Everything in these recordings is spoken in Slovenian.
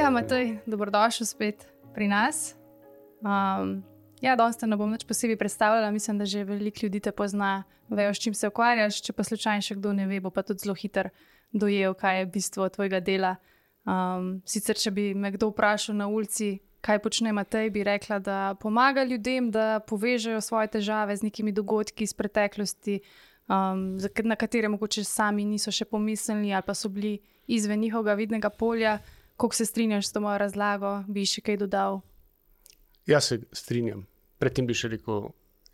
Ja, Matej, dobrodošel spet pri nas. Danes te ne bom nič posebej predstavljala, mislim, da že veliko ljudi te pozna, vejo, s čim se ukvarjaš, če pa slučajno še kdo ne ve, bo pa tudi zelo hiter dojel, kaj je bistvo tvojega dela. Sicer, če bi me kdo vprašal na ulici, kaj počne Matej, bi rekla, da pomaga ljudem, da povežejo svoje težave z nekimi dogodki iz preteklosti, na katere mogoče sami niso še pomislili ali pa so bili izven njihovega vidnega polja. Kako se strinjaš s to mojo razlago? Bi še kaj dodal? Ja, se strinjam. Predtem bi še rekel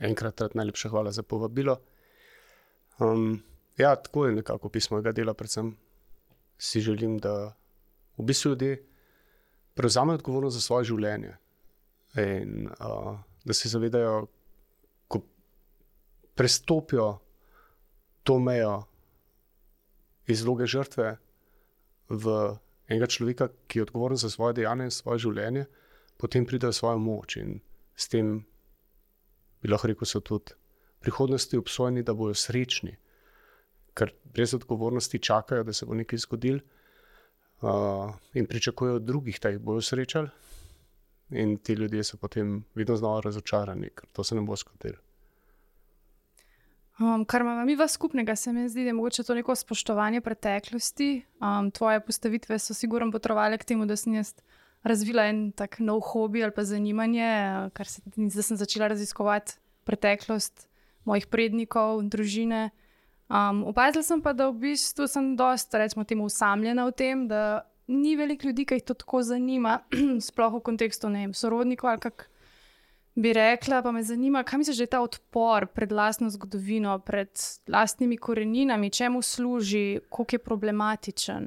enkrat najlepša hvala za povabilo. Tako je nekako pismo mojega dela, predvsem si želim, da v bistvu ljudje prevzamejo odgovornost za svoje življenje in da se zavedajo, ko prestopijo to mejo iz vloge žrtve v enega človeka, ki je odgovoren za svoje dejanje in svoje življenje, potem pridejo svojo moč in s tem bi lahko rekel, so tudi v prihodnosti obsojeni, da bojo srečni, ker brez odgovornosti čakajo, da se bo nekaj zgodilo in pričakujejo od drugih, da jih bojo srečali in ti ljudje so potem vedno znova razočarani, ker to se ne bo zgodilo. Kar imamo mi vas skupnega, se mi zdi, da je mogoče to neko spoštovanje preteklosti. Tvoje postavitve so sigurno potrovale k temu, da sem jaz razvila en tak nov hobi ali pa zanimanje, da sem začela raziskovati preteklost mojih prednikov, družine. Opazila sem pa, da v bistvu sem dosta, recimo temu, osamljena v tem, da ni veliko ljudi, ki jih to tako zanima, sploh v kontekstu, ne vem, sorodnikov ali kak bi rekla, pa me zanima, kaj misliš, da je ta odpor pred lastno zgodovino, pred lastnimi koreninami, čemu služi, koliko je problematičen?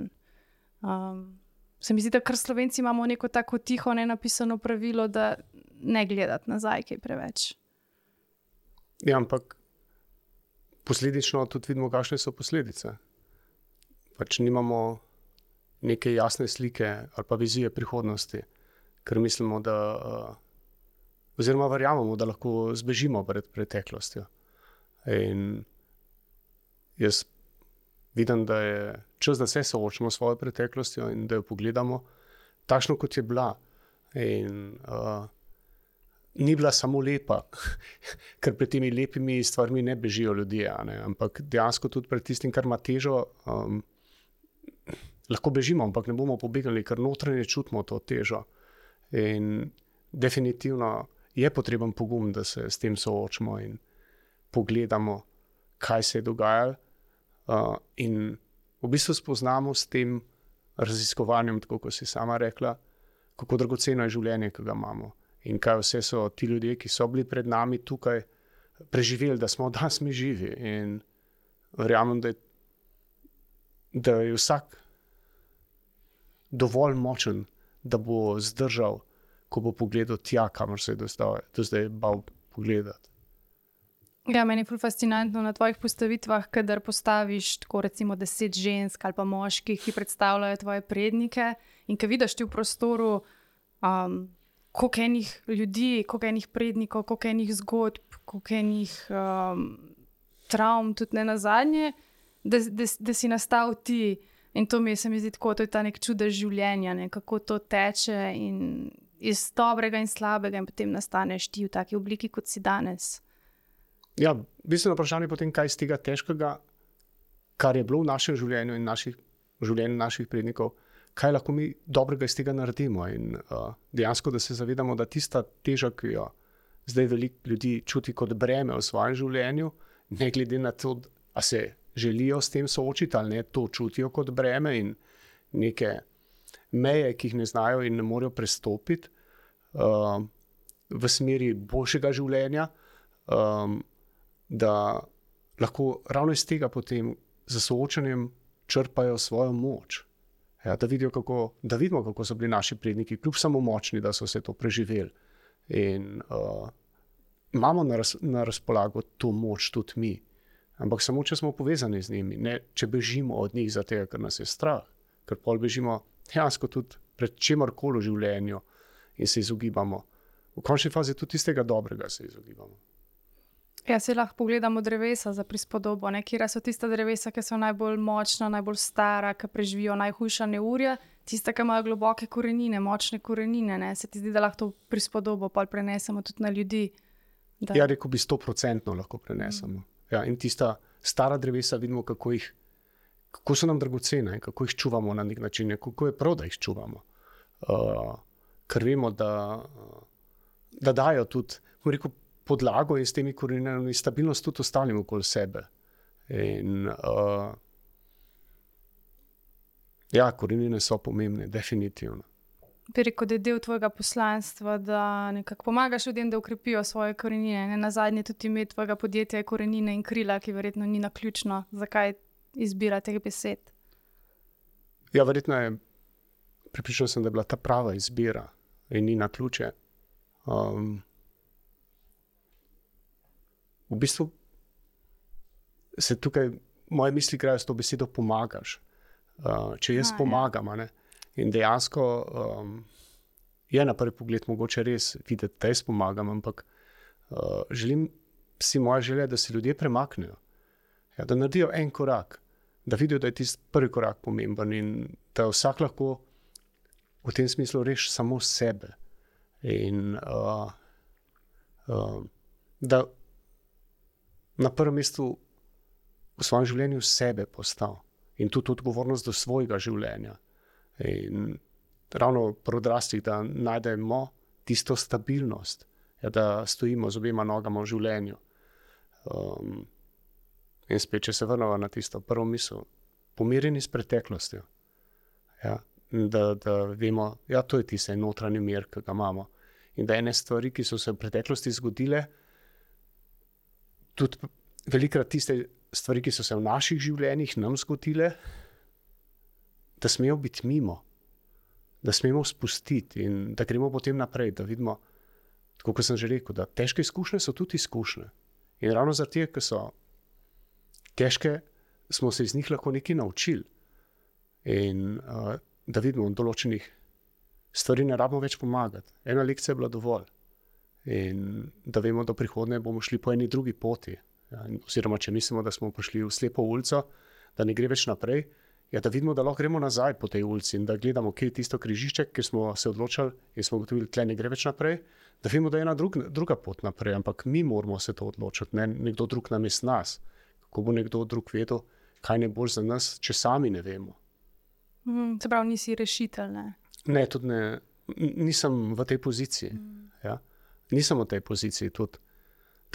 Se mi zdi, da kar Slovenci imamo neko tako tiho, nenapisano pravilo, da ne gledati nazaj kaj preveč. Ja, ampak posledično tudi vidimo, kakšne so posledice. Pač nimamo neke jasne slike ali pa vizije prihodnosti, ker mislimo, da oziroma verjamemo, da lahko zbežimo pred preteklostjo. In jaz vidim, da je čas, da se soočimo s svojo preteklostjo in da jo pogledamo takšno, kot je bila. In ni bila samo lepa, ker pred temi lepimi stvarmi ne bežijo ljudje, ne? Ampak dejansko tudi pred tistim, kar ima težo, lahko bežimo, ampak ne bomo pobegnili, ker notranje čutimo to težo. In definitivno je potreben pogum, da se s tem soočimo in pogledamo, kaj se je dogajalo in v bistvu spoznamo s tem raziskovanjem, tako kot si sama rekla, kako dragoceno je življenje, ki ga imamo in kaj vse so ti ljudje, ki so bili pred nami tukaj, preživeli, da smo danes mi živi in verjamem, da je vsak dovolj močen, da bo zdržal, ko bo pogledal tja, kamor se je do zdaj bal pogledati. Ja, meni je ful fascinantno na tvojih postavitvah, kadar postaviš tako recimo 10 žensk ali pa moških, ki predstavljajo tvoje prednike in ko vidiš ti v prostoru koliko enih ljudi, koliko enih prednikov, koliko enih zgodb, koliko enih travm, tudi ne nazadnje, da si nastal ti. In to se mi zdi tako, to je ta nek čudež življenja, ne, kako to teče in iz dobrega in slabega in potem nastaneš ti v taki obliki, kot si danes. Ja, bistveno vprašanje je potem, kaj iz tega težkega, kar je bilo v našem življenju in življenju naših prednikov, kaj lahko mi dobrega iz tega naredimo in dejansko, da se zavedamo, da tista teža, ki jo zdaj veliko ljudi čuti kot breme v svojem življenju, ne glede na to, a se želijo s tem soočiti ali ne, to čutijo kot breme in neke meje, ki jih ne znajo in ne morejo prestopiti v smeri boljšega življenja, da lahko ravno iz tega potem za soočanjem črpajo svojo moč. Ja, da vidimo, kako so bili naši predniki, kljub samo močni, da so se to preživeli. In imamo na razpolago to moč tudi mi. Ampak samo, če smo povezani z njimi, ne če bežimo od njih zato, ker nas je strah, ker pol bežimo dejansko tudi pred čemarkoli v življenju in se izogibamo. V končni fazi tudi tistega dobrega se izogibamo. Ja, se lahko pogledamo drevesa za prispodobo, ne? Kjera so tista drevesa, ki so najbolj močna, najbolj stara, ki preživijo najhujša neurja, tiste, ki imajo globoke korenine, močne korenine, ne? Se ti zdi, da lahko to prispodobo pol prenesemo tudi na ljudi? Ja, rekel bi 100% lahko prenesemo. Ja, in tista stara drevesa vidimo, kako so nam dragocene, kako jih čuvamo na nek način, kako je prav, da jih čuvamo. Ker vemo, da dajo tudi, rekel, podlago in s temi koreninami stabilnost tudi ostalim okoli sebe. In ja, korenine so pomembne, definitivno. Bi rekel, da je del tvojega poslanstva, da nekako pomagaš ljudem, da ukrepijo svoje korenine. Ne nazadnje tudi ime tvojega podjetja je Korenine in krila, ki verjetno ni naključno. Zakaj izbira teh besed? Ja, verjetno je, prepričan sem, da je bila ta prava izbira in ni naključje. V bistvu se tukaj moje misli grejo s to besedo pomagaš. Če jaz pomagam, ne? In dejansko je na prvi pogled mogoče res videti, da jaz pomagam, ampak želim si moja želja, da se ljudje premaknejo. Ja, da naredijo en korak, da vidijo, da je tisti prvi korak pomemben in da vsak lahko v tem smislu reši samo sebe. In da na prvem mestu v svojem življenju sebe postavi in tudi odgovornost do svojega življenja. In ravno pri odraslih, da najdemo tisto stabilnost, ja, da stojimo z obema nogama v življenju. In spet, če se vrnemo na tisto prvo misel, pomirjeni s preteklostjo. Ja, da vemo, ja, to je tisti notranji mir, ki ga imamo. In da ene stvari, ki so se v preteklosti zgodile, tudi velikrat tiste stvari, ki so se v naših življenjih nam zgodile, da smejo biti mimo, da smemo spustiti in da gremo potem naprej, da vidimo, tako kot sem že rekel, da težke izkušnje so tudi izkušnje. In ravno zaradi tega, ker so težke, smo se iz njih lahko nekaj naučili. In da vidimo, v določenih stvari ne rabimo več pomagati. Ena lekcija je bila dovolj. In da vemo, da v prihodnje bomo šli po eni drugi poti. Ja, oziroma, če mislimo, da smo prišli v slepo ulico, da ne gre več naprej, ja, da vidimo, da lahko gremo nazaj po tej ulici in da gledamo, kje je tisto križišče, kjer smo se odločili in smo ugotovili, tle ne gre več naprej, da vemo, da je ena druga pot naprej, ampak mi moramo se to odločiti, ne nekdo drug namesto nas. Kako bo nekdo drug vedel, kaj je bolj za nas, če sami ne vemo. Se pravi, nisi rešitelj, ne? Ne, tudi ne, nisem v tej poziciji. Ja. Nisem v tej poziciji tudi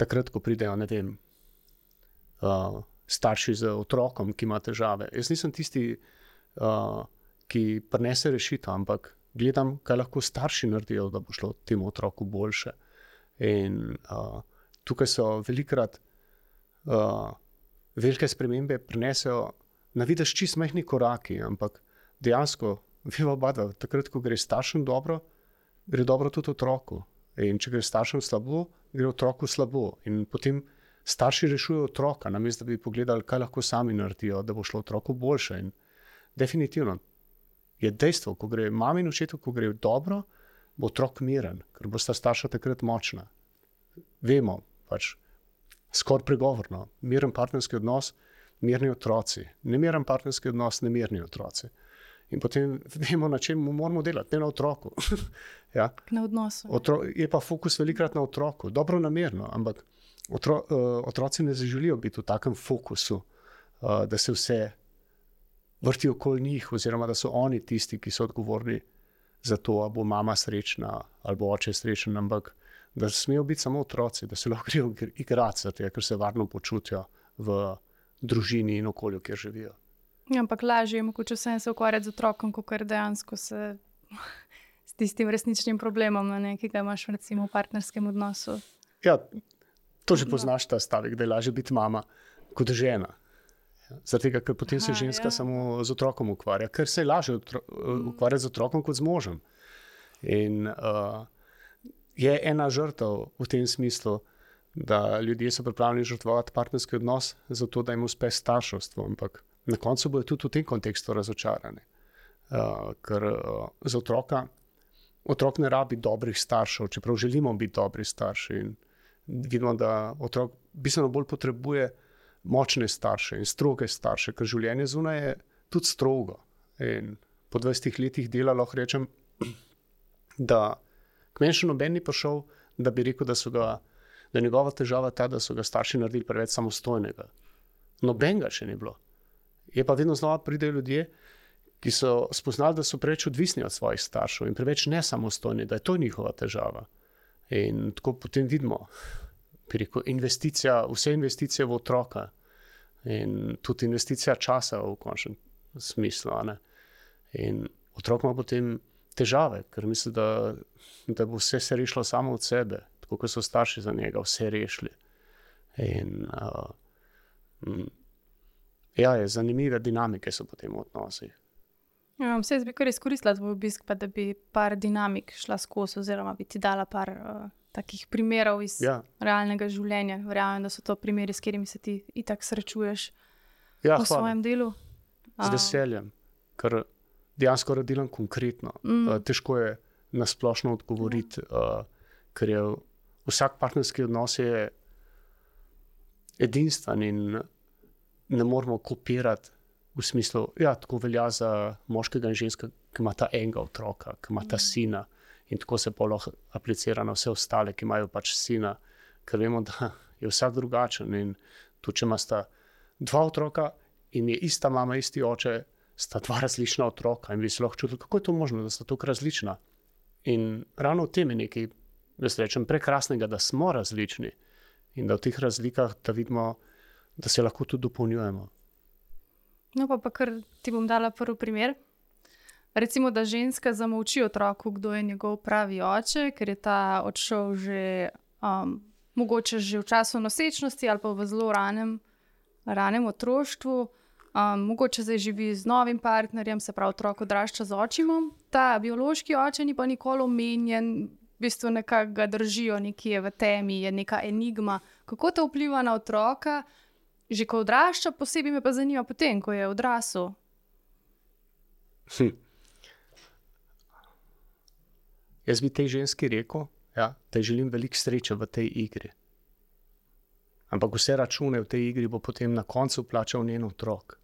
takrat, ko pridejo, ne vem, starši z otrokom, ki ima težave. Jaz nisem tisti, ki prinese rešitev, ampak gledam, kaj lahko starši naredijo, da bo šlo temu otroku boljše. In tukaj so velikrat velike spremembe prinesejo na videz čisto majhni koraki, ampak dejansko, veva oba dva, takrat, ko gre staršem dobro, gre dobro tudi otroku. In če gre staršem slabo, gre otroku slabo. In potem starši rešujejo otroka, namesto da bi pogledali, kaj lahko sami naredijo, da bo šlo otroku boljše. In definitivno je dejstvo, ko gre mami in očetu, ko gre dobro, bo otrok miren, ker bo sta starša takrat močna. Vemo, pač skoraj pregovorno, miren partnerski odnos, mirni otroci. Nemiren partnerski odnos, nemirni otroci. In potem vemo, na čem moramo delati, ne na otroku. Ja. Na odnosu. Je pa fokus velikrat na otroku, dobro namerno, ampak otroci ne želijo biti v takem fokusu, da se vse vrti okoli njih, oziroma da so oni tisti, ki so odgovorni za to, ali bo mama srečna, ali bo oče srečen, ampak da smejo biti samo otroci, da se lahko grejo igrati, ker se varno počutijo v družini in okolju, kjer živijo. Ja, ampak lažje je mogoče se ukvarjati z otrokom, kot dejansko se s tistim resničnim problemom, ki ga imaš recimo v partnerskem odnosu. Ja, to že poznaš ta stavek, da je lažje biti mama kot žena. Zaradi tega, ker potem se ženska samo z otrokom ukvarja, ker se je lažje ukvarjati z otrokom kot z možem. In je ena žrtev v tem smislu, da ljudje so pripravljeni žrtvovati partnerski odnos zato, da jim uspe starševstvo, ampak na koncu bojo tudi v tem kontekstu razočarani. Ker za otrok ne rabi dobrih staršev, čeprav želimo biti dobri starši. In vidimo, da otrok bistveno bolj potrebuje močne starše in stroge starše, ker življenje zunaj je tudi strogo. In po 20 letih dela lahko rečem, da k meni še noben ni prišel, da bi rekel, da je njegova težava ta, da so ga starši naredili preveč samostojnega. Nobenega še ni bilo. Je pa vedno znova pridejo ljudje, ki so spoznali, da so preveč odvisni od svojih staršev in preveč nesamostojni, da je to njihova težava. In tako potem vidimo, bi rekel, vse investicije v otroka in tudi investicija časa v končnem smislu. In otrok ima potem težave, ker misli, da bo vse se rešilo samo od sebe, tako kot so starši za njega vse rešili. In je zanimive dinamike so potem v odnosih. Vse bi kar izkoristila tvoj obisk, pa da bi par dinamik šla skozi, oziroma bi ti dala par takih primerov iz realnega življenja. Verjamem, da so to primeri, s katerimi se ti itak srečuješ v svojem delu. Z veseljem, ker dejansko delam konkretno. Težko je na splošno odgovoriti, ker je vsak partnerski odnos je edinstven in ne moramo kopirati v smislu, tako velja za moškega in ženska, ki imata enega otroka, ki imata sina in tako se pa lahko aplicira na vse ostale, ki imajo pač sina, ker vemo, da je vsak drugačen in tudi, če imata dva otroka in je ista mama, isti oče, sta dva različna otroka in bi se lahko čutili, kako je to možno, da sta tako različna. In ravno v tem je nekaj, jaz rečem, prekrasnega, da smo različni in da v teh razlikah, da vidimo, da se lahko tudi dopolnjujemo. No, pa kar ti bom dala prvi primer. Recimo, da ženska zamolči otroku, kdo je njegov pravi oče, ker je ta odšel že mogoče že v času nosečnosti ali pa v zelo ranem otroštvu. Mogoče zdaj živi z novim partnerjem, se pravi otrok odrašča z očimom. Ta biološki oče ni pa nikoli omenjen, v bistvu nekako ga držijo nekje v temi, je neka enigma. Kako to vpliva na otroka? Že ko odrašča, posebej me pa zanima potem, ko je odrasel. Jaz bi tej ženski rekel, da ji želim veliko sreče v tej igri. Ampak vse račune v tej igri bo potem na koncu plačal njen otrok.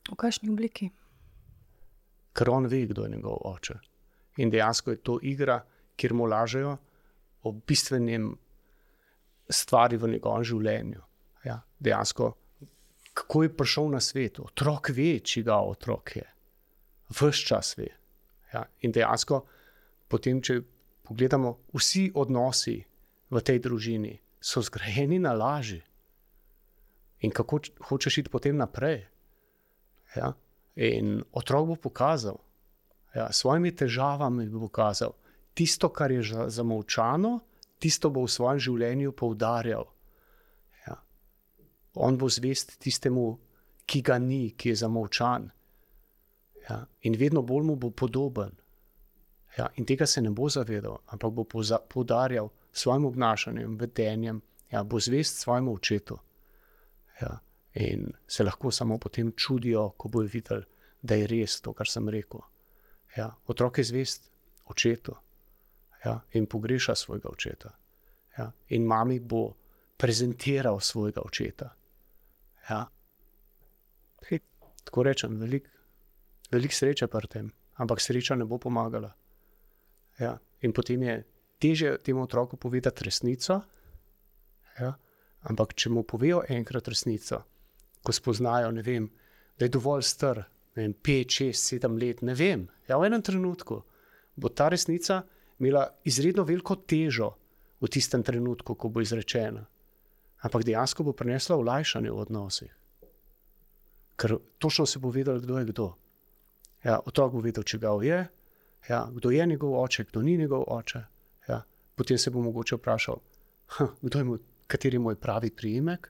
V kakšni obliki? Ker on ve, kdo je njegov oče. In dejansko je to igra, kjer mu lažejo o bistvenem stvari v njegovem življenju. Dejansko, kako je prišel na svet. Otrok ve, čigav otrok je. Ves čas ve. In dejansko, potem, če pogledamo, vsi odnosi v tej družini so zgrajeni na laži. In kako hočeš iti potem naprej? In otrok bo pokazal, s svojimi težavami bo pokazal, tisto, kar je zamolčano, tisto bo v svojem življenju poudarjal. On bo zvest tistemu, ki ga ni, ki je zamolčan. In vedno bolj mu bo podoben. In tega se ne bo zavedal, ampak bo poudarjal svojim obnašanjem, vedenjem, bo zvest svojemu očetu. In se lahko samo potem čudijo, ko bojo videli, da je res to, kar sem rekel. Otrok je zvest očetu in pogreša svojega očeta. In mami bo prezentiral svojega očeta. Tako rečem, veliko sreče pri tem, ampak sreča ne bo pomagala. In potem je težje temu otroku povedati resnico, ampak če mu povejo enkrat resnico, ko spoznajo, ne vem, da je dovolj star, 5, 6, 7 let, ne vem, v enem trenutku bo ta resnica imela izredno veliko težo v tistem trenutku, ko bo izrečena. Ampak dejansko bo prinesla olajšanje v odnosih. Ker točno se bo vedel, kdo je kdo. Otrok bo vedel, čigav je, kdo je njegov oče, kdo ni njegov oče. Potem se bo mogoče vprašal, kateri je moj pravi priimek.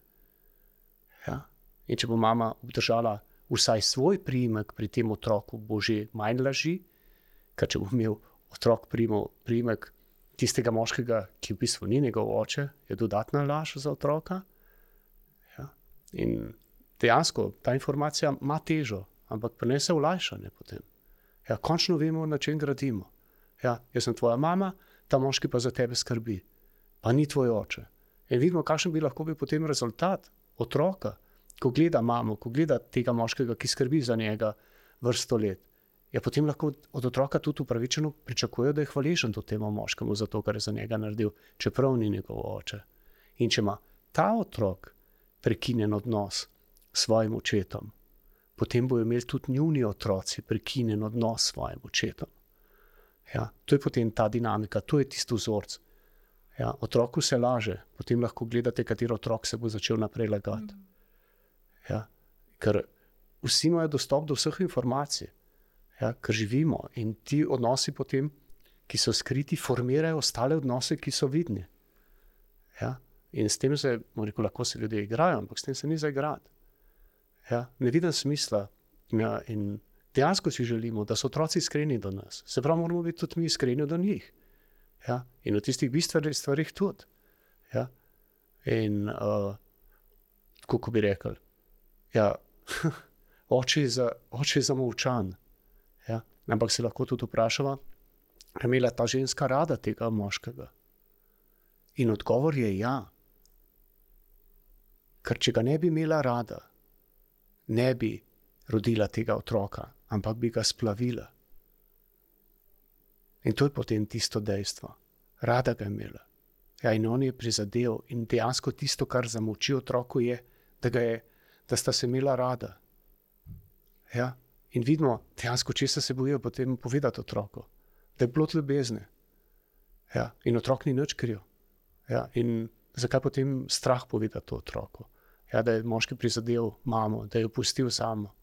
In če bo mama obdržala vsaj svoj priimek pri tem otroku, bo že manj laži, ker če bo imel otrok priimek tistega moškega, ki v bistvu ni njegov oče, je dodatna laž za otroka. In dejansko ta informacija ima težo, ampak prinese olajšanje potem. Končno vemo, na čem gradimo. Jaz sem tvoja mama, ta moški pa za tebe skrbi, pa ni tvoj oče. In vidimo, kakšen bi lahko bil potem rezultat otroka, ko gleda mamo, ko gleda tega moškega, ki skrbi za njega vrsto let. ja, potem lahko od otroka tudi upravičeno pričakujejo, da je hvaležen do temu moškemu za to, kar je za njega naredil, čeprav ni njegov oče. In če ima ta otrok prekinjen odnos s svojim očetom, potem bojo imeli tudi njuni otroci prekinjen odnos s svojim očetom. Ja, to je potem ta dinamika, to je tisti vzorc. Ja, otroku se laže, potem lahko gledate, kateri otrok se bo začel naprej lagati. Ja, ker vsi imajo dostop do vseh informacij, ja, ker živimo in ti odnosi potem, ki so skriti, formirajo ostale odnose, ki so vidni. Ja, in s tem se, lahko se ljudje igrajo, ampak s tem se ni za igrati. Ja, ne vidim smisla. Ja, in dejansko si želimo, da so otroci iskreni do nas. Se pravi, moramo biti tudi mi iskreni do njih. Ja, in v tistih bistvenih stvarih tudi. Ja, in kako bi rekel, ja, oče je zamolčan. Ja, ampak se lahko tudi vprašava, je imela ta ženska rada tega moškega? In odgovor je ja. Ker če ga ne bi imela rada, ne bi rodila tega otroka, ampak bi ga splavila. In to je potem tisto dejstvo. Rada ga je imela. Ja, in on je prizadel in dejansko tisto, kar zamolči otroku je, da sta se imela rada. Ja, in vidimo, dejansko česa se bojijo potem povedati otroku. Da je plod ljubezni. Ja, in otrok ni nič kriv. Ja, in zakaj potem strah povedati to otroku? Ja, da je moški prizadel mamo, da je jo pustil samo.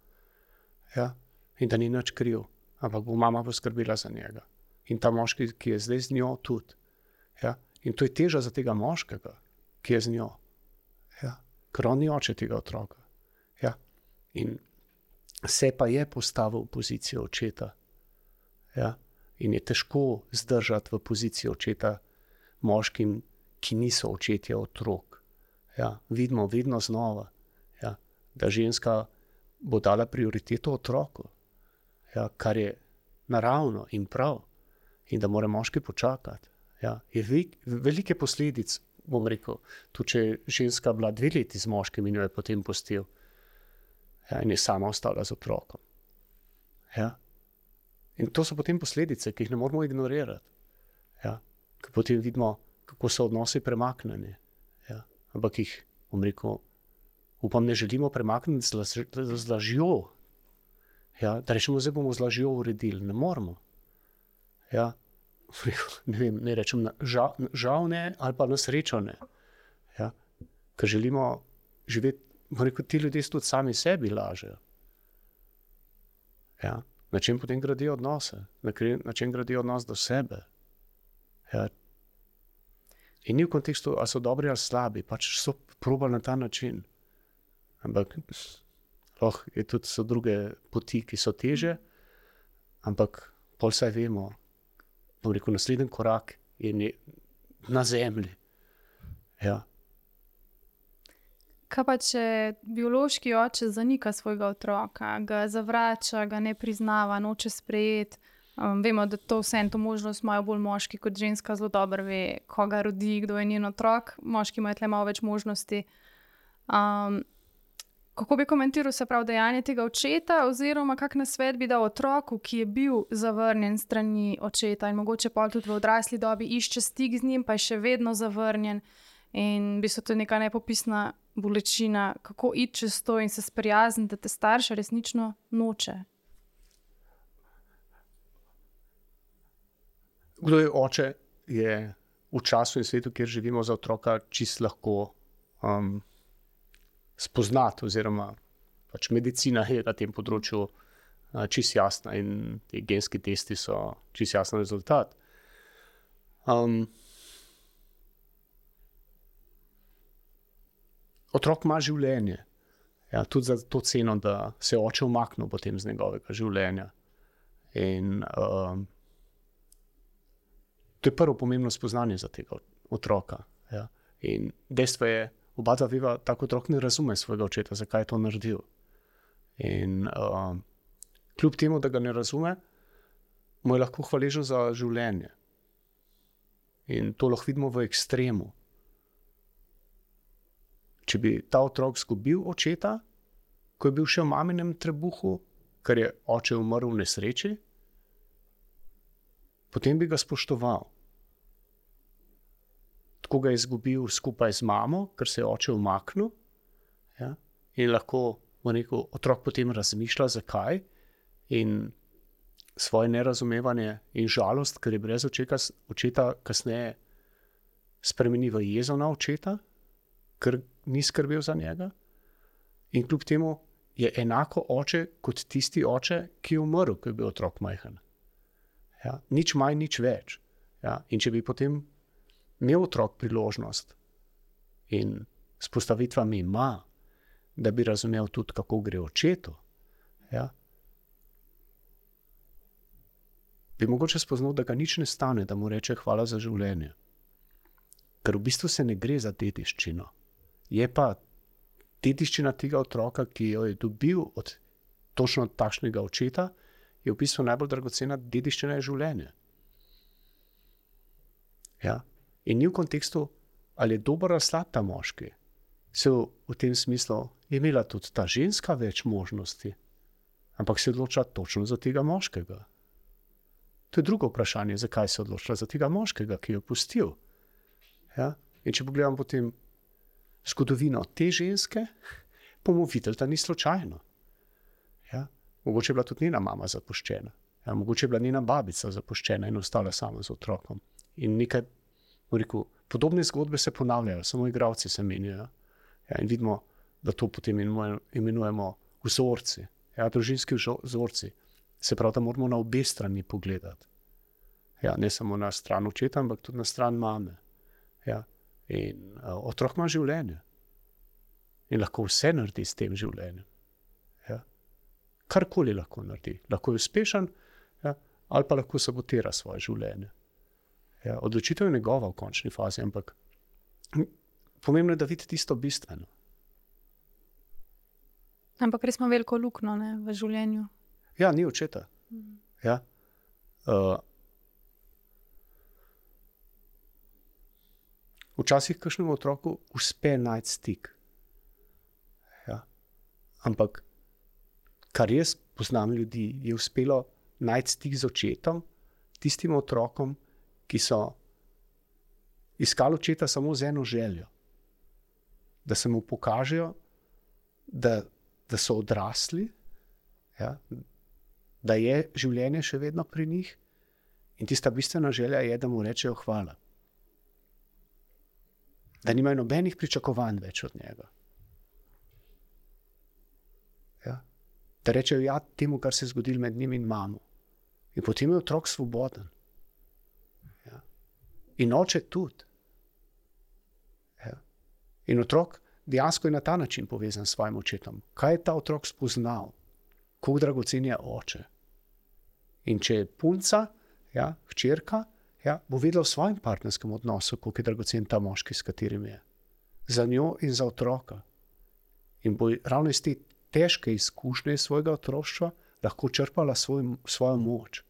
Ja, in da ni nič kriv, ampak bo mama poskrbela za njega. In ta moški, ki je zdaj z njo tudi. Ja, in to je teža za tega moškega, ki je z njo. Ja, ker on ni oče tega otroka. Ja, in se pa je postavil v pozicijo očeta. Ja, in je težko zdržati v pozicijo očeta moškim, ki niso očetje otrok. Ja, vidimo vedno znova, ja, da ženska bo dala prioriteto otroku, ja, kar je naravno in prav, in da mora moški počakati. Ja, je velike posledic, bom rekel, tudi če je ženska bila 2 leti z moškim in jo je potem pustil, ja, in je sama ostala z otrokom. Ja. In to so potem posledice, ki jih ne moramo ignorirati. Ja. Ker potem vidimo, kako so odnosi premaknjeni. Ja. Ampak jih, bom rekel, upam, ne želimo premakniti z lažjo. Ja. Da rečemo, zdaj bomo z lažjo uredili. Ne moramo. Ja. Ne vem, ne rečem, žal ne, ali pa na srečo ne. Ja. Ker želimo živeti, bom rekel, ti ljudje tudi sami sebi lažejo. Ja. Na čem potem gradijo odnose? Na čem gradijo odnos do sebe? Ja. In ni v kontekstu, ali so dobri ali slabi, pač so probali na ta način. Ampak so druge poti, ki so teže, ampak pol saj vemo, bom rekel, naslednji korak je na zemlji. Ja. Kaj pa, če biološki oče zanika svojega otroka, ga zavrača, ga ne priznava, noče sprejeti? Vemo, da to možnost imajo bolj moški kot ženska, zelo dobro ve, koga rodi, kdo je njen otrok. Moški imajo tle malo več možnosti. Kako bi komentiral, se pravi, dejanje tega očeta, oziroma kak nasvet bi dal otroku, ki je bil zavrnjen strani očeta in mogoče pol tudi v odrasli dobi išče stik z njim, pa je še vedno zavrnjen in bi se to neka nepopisna bolečina, kako iti čez to in se sprijazniti, da te starša resnično noče. Kdo je oče, je v času in svetu, kjer živimo, za otroka čisto lahko spoznati, oziroma pač medicina je na tem področju čisto jasna in ti genski testi so čisto jasen rezultat. Otrok ima življenje. Ja, tudi za to ceno, da se oče umaknil potem z njegovega življenja. In to je prvo pomembno spoznanje za tega otroka. Ja. In dejstvo je, oba dva veva, tako otrok ne razume svojega očeta, zakaj je to naredil. In kljub temu, da ga ne razume, mu je lahko hvaležen za življenje. In to lahko vidimo v ekstremu. Če bi ta otrok izgubil očeta, ko je bil še v maminem trebuhu, ker je oče umrl v nesreči, potem bi ga spoštoval. Tako ga je izgubil skupaj z mamo, ker se je oče umaknil, ja? In lahko otrok potem razmišlja, zakaj, in svoje nerazumevanje in žalost, ker je brez očeta kasneje spremeni v jezo na očeta, ker ni skrbel za njega. In kljub temu je enako oče kot tisti oče, ki je umrl, ko je bil otrok majhen. Ja? Nič manj, nič več. Ja? In če bi potem imel otrok priložnost in s postavitvami ima, da bi razumel tudi, kako gre očetu, ja? Bi mogoče spoznal, da ga nič ne stane, da mu reče hvala za življenje. Ker v bistvu se ne gre za dediščino. Je pa dediščina tega otroka, ki jo je dobil od točno takšnega očeta, je v bistvu najbolj dragocena dediščina je življenje. Ja? In ni v kontekstu, ali je dober ali slab ta moški. Se v tem smislu je imela tudi ta ženska več možnosti, ampak se je odločila točno za tega moškega. To je drugo vprašanje, zakaj se je odločila za tega moškega, ki jo je pustil. Ja? In če pogledam potem zgodovino te ženske, bomo videli, da ni slučajno. Ja? Mogoče je bila tudi njena mama zapuščena. Ja? Mogoče je bila njena babica zapuščena in ostala sama z otrokom. In nekaj, rekel, podobne zgodbe se ponavljajo, samo igralci se menjajo. Ja? In vidimo, da to potem imenujemo vzorci. Ja? Družinski vzorci. Se pravi, da moramo na obe strani pogledati. Ja? Ne samo na stran očeta, ampak tudi na stran mame. Ja? In otrok ima življenje. In lahko vse naredi s tem življenjem. Ja? Karkoli lahko naredi. Lahko je uspešen, ja? Ali pa lahko sabotira svoje življenje. Ja? Odločitev je njegova v končni fazi, ampak pomembno je, da vidi tisto bistveno. Ampak res ima veliko luknjo v življenju. Ja, ni očeta. Ja? Včasih kakšnemu otroku uspe najti stik. Ja? Ampak, kar jaz poznam ljudi, je uspelo najti stik z očetom, tistim otrokom, ki so iskali očeta samo z eno željo. Da se mu pokažejo, da so odrasli, ja? Da je življenje še vedno pri njih in tista bistvena želja je, da mu rečejo hvala. Da nimajo nobenih pričakovanj več od njega. Ja? Da rečejo ja temu, kar se je zgodilo med njim in mamo. In potem je otrok svoboden. Ja? In oče tudi. Ja? In otrok dejansko je na ta način povezan s svojim očetom. Kaj je ta otrok spoznal? Kako dragocen je oče? In če je punca, ja, hčerka, ja, bo vedela v svojem partnerskem odnosu, kako je dragocen ta moški, s katerim je. Za njo in za otroka. In bo ravno iz te težke izkušnje svojega otroštva lahko črpala svojo moč.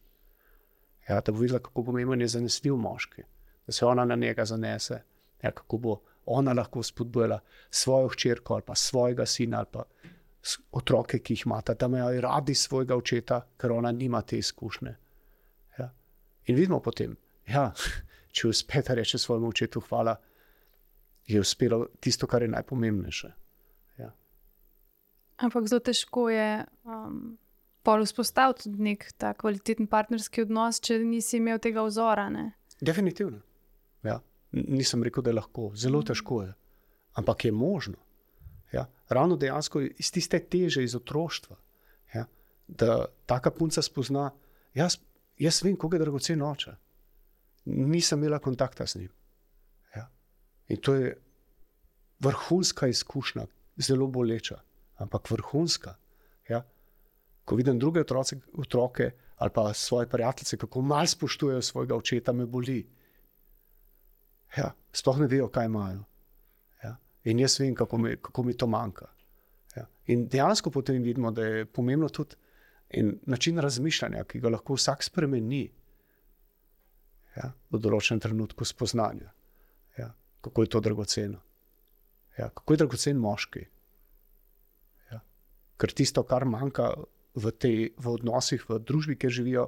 Ja, da bo videla, kako pomemben je zanesljiv moški. Da se ona na njega zanese. Ja, kako bo ona lahko spodbujala svojo hčerko ali pa svojega sina ali pa otroke, ki jih imata, da imajo radi svojega očeta, ker ona nima te izkušnje. Ja. In vidimo potem, ja, če uspe da reče svojemu očetu hvala, je uspelo tisto, kar je najpomembnejše. Ja. Ampak zelo težko je pol vzpostaviti tudi nek ta kvaliteten partnerski odnos, če nisi imel tega vzora, ne? Definitivno. Ja. Nisem rekel, da je lahko. Zelo težko je. Ampak je možno. Ja, ravno dejansko iz tiste teže iz otroštva, ja, da taka punca spozna, jaz vem, koliko je dragocen oče. Nisem imela kontakta z njim. Ja. In to je vrhunska izkušnja, zelo boleča, ampak vrhunska. Ja. Ko vidim druge otroke ali pa svoje prijateljice, kako malo spoštujejo svojega očeta, me boli. Ja, sploh ne vejo, kaj imajo. In jaz vem, kako mi to manjka. Ja. In dejansko potem vidimo, da je pomembno tudi način razmišljanja, ki ga lahko vsak spremeni, ja, v določenem trenutku spoznanja. Ja. Kako je to dragoceno. Ja. Kako je dragocen moški. Ja. Ker tisto, kar manjka v odnosih, v družbi, kjer živijo,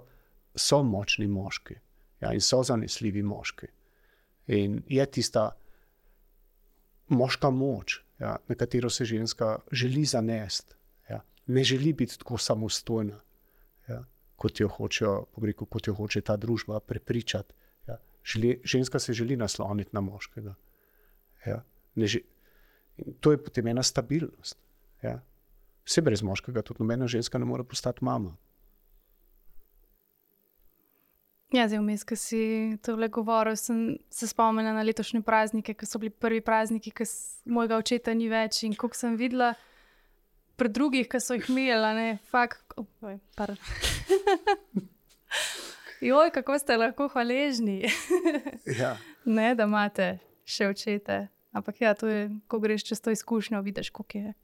so močni moški. Ja, in so zanesljivi moški. In je tista moška moč, ja, na katero se ženska želi zanesti. Ja. Ne želi biti tako samostojna, ja, kot jo hoče ta družba prepričati. Ja. Ženska se želi nasloniti na moškega. Ja. In to je potem ena stabilnost. Ja. Vse brez moškega, tudi nobena ženska ne more postati mama. Ja, zdaj vmes, ko si tole govoril, sem se spomnila na letošnje praznike, ko so bili prvi prazniki, ko mojega očeta ni več in koliko sem videla pri drugih, ki so jih imeli, ne, Joj, kako ste lahko hvaležni, Ja. ne, da imate še očete. Ampak ja, to je, ko greš čez to izkušnjo, vidiš, koliko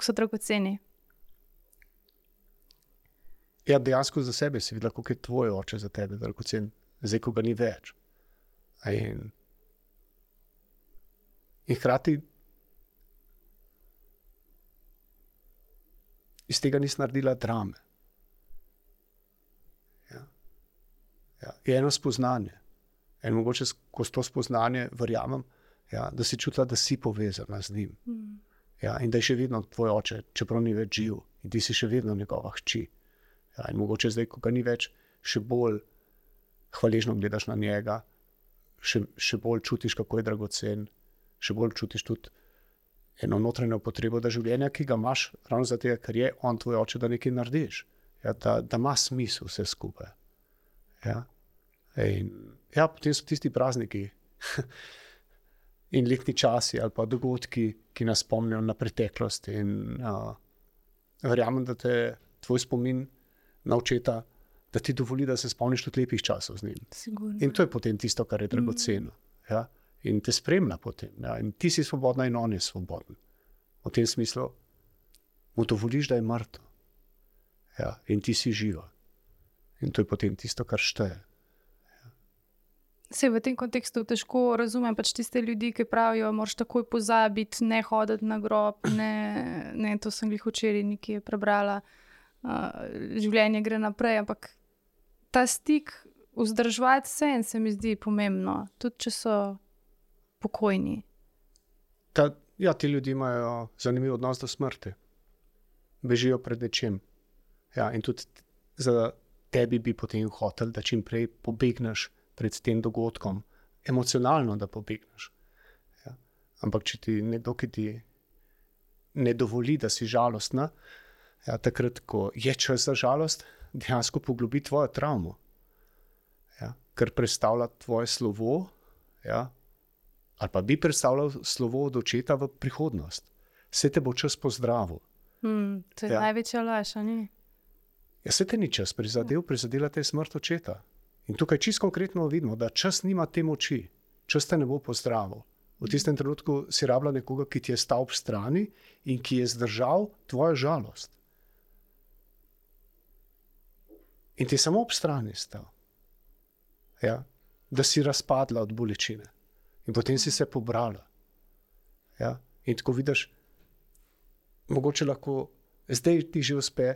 so dragoceni. Ja, dejansko za sebe si videla, koliko je tvoj oče za tebe dragocen, zdaj, ko ga ni več. In hkrati iz tega nisi naredila drame. Ja. Ja. Je eno spoznanje. In mogoče skozi to spoznanje verjamem, ja, da si čutila, da si povezana z njim. Ja, in da je še vedno tvoj oče, čeprav ni več živ. In ti si še vedno njegova hči. Ja, in mogoče zdaj, ko ga ni več, še bolj hvaležno gledaš na njega, še bolj čutiš, kako je dragocen, še bolj čutiš tudi eno notranjo potrebo, da življenja, ki ga imaš, ravno zato, ker je on tvoj oče, da nekaj narediš. Ja, da ima smisel vse skupaj. Ja. In ja, potem so tisti prazniki in letni časi ali pa dogodki, ki nas spomnijo na preteklost. In verjamem, da te tvoj spomin na očeta, da ti dovoli, da se spomniš tudi lepih časov z njim. Sigurno. In to je potem tisto, kar je dragoceno. Ja? In te spremlja potem. Ja? In ti si svobodna in on je svoboden. V tem smislu mu dovoliš, da je mrtev. Ja? In ti si živa. In to je potem tisto, kar šteje. Se v tem kontekstu težko razumem pač tiste ljudi, ki pravijo, moraš takoj pozabiti, ne hoditi na grob, ne, to sem glih včeraj nekje prebrala. Življenje gre naprej, ampak ta stik vzdrževati se mi zdi pomembno, tudi če so pokojni. Ja, ti ljudje imajo zanimiv odnos do smrti. Bežijo pred nečem. Ja, in tudi za tebi bi potem hotel, da čim prej pobegneš pred tem dogodkom. Emocionalno, da pobegneš. Ja. Ampak če ti nekdo, ki ti ne dovoli, da si žalostna, ja, takrat, ko je čas za žalost, dejansko poglobi tvojo travmo. Ja, ker predstavlja tvoje slovo, ja, ali pa bi predstavljal slovo od očeta v prihodnost. Vse te bo čas pozdravil. To je največja laž, a ni? Ja, se te ni čas prizadela te smrt očeta. In tukaj čisto konkretno vidimo, da čas nima te moči. Čas te ne bo pozdravil. V tistem trenutku si rabila nekoga, ki ti je stal ob strani in ki je zdržal tvojo žalost. In ti je samo ob strani stal. Ja? Da si razpadla od bolečine. In potem si se pobrala. Ja? In tako vidiš, mogoče lahko zdaj ti že uspe,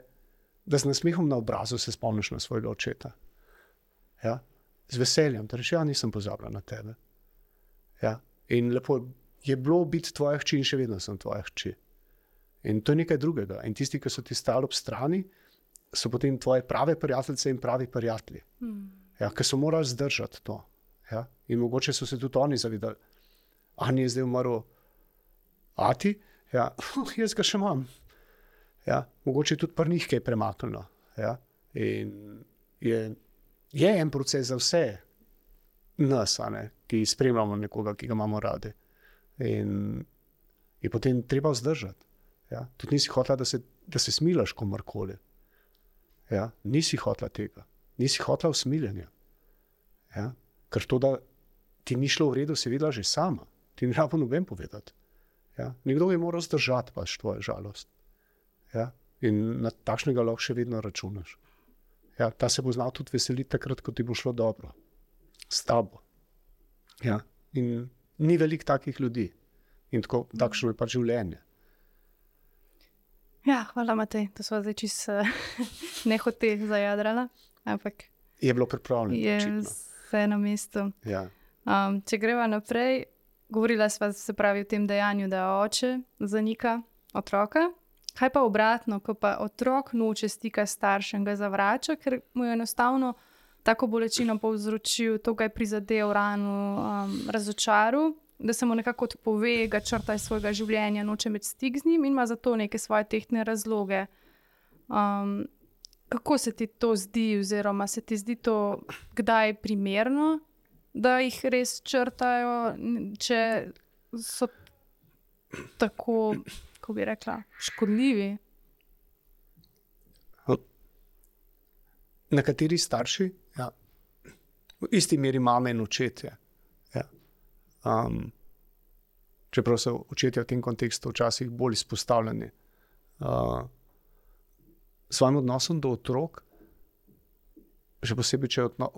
da z nasmehom na obrazu se spomniš na svojega očeta. Ja? Z veseljem, da rečeš, ja, nisem pozabila na tebe. Ja? In lepo je bilo biti tvoja hči in še vedno sem tvoja hči. In to je nekaj drugega. In tisti, ki so ti stali ob strani, so potem tvoje prave prijateljice in pravi prijatelji. Ja, ki so morali zdržati to. Ja? In mogoče so se tudi oni zavedali, Ani je zdaj umrl ati, ja, jaz ga še imam. Ja? Mogoče tudi pri njih kaj premaknilo. Ja? In je en proces za vse nas, ki spremljamo nekoga, ki ga imamo radi. In je potem treba vzdržati. Ja? Tudi nisi hotela, da se smilaš komorkoli. Ja? Nisi hotela tega. Nisi hotela usmiljenja. Ja? Ker to, da ti ni šlo v redu, si videla že sama. Ti ni rabo noben povedati. Ja? Nekdo je moral zdržati pač tvojo žalost. Ja? In na takšnega lahko še vedno računaš. Ja? Ta se bo znal tudi veseliti takrat, ko ti bo šlo dobro. S tabo. Ja? In ni veliko takih ljudi. In takšno je pač življenje. Ja, hvala, Matej, da smo zdaj čisto nehote zajadrala. Ampak... Je bilo pripravljeno. Je očitno. vse na mestu. Ja. Če greva naprej, govorila sva se pravi o tem dejanju, da oče zanika otroka. Kaj pa obratno, ko pa otrok noče stika s staršem, ga zavrača, ker mu je enostavno tako bolečino povzročil, to ga je prizadel, rano, razočaril, da se mu nekako odpove, ga črta iz svojega življenja, noče imeti stik z njim in ima za to neke svoje tehtne razloge. Kako se ti to zdi, oziroma se ti zdi to kdaj primerno, da jih res črtajo, če so tako, kako bi rekla, škodljivi? Nekateri starši, ja, v isti meri mame in očetje. Ja. Čeprav so očetje v tem kontekstu včasih bolj izpostavljeni. Svojim odnosom do otrok, še posebej, če je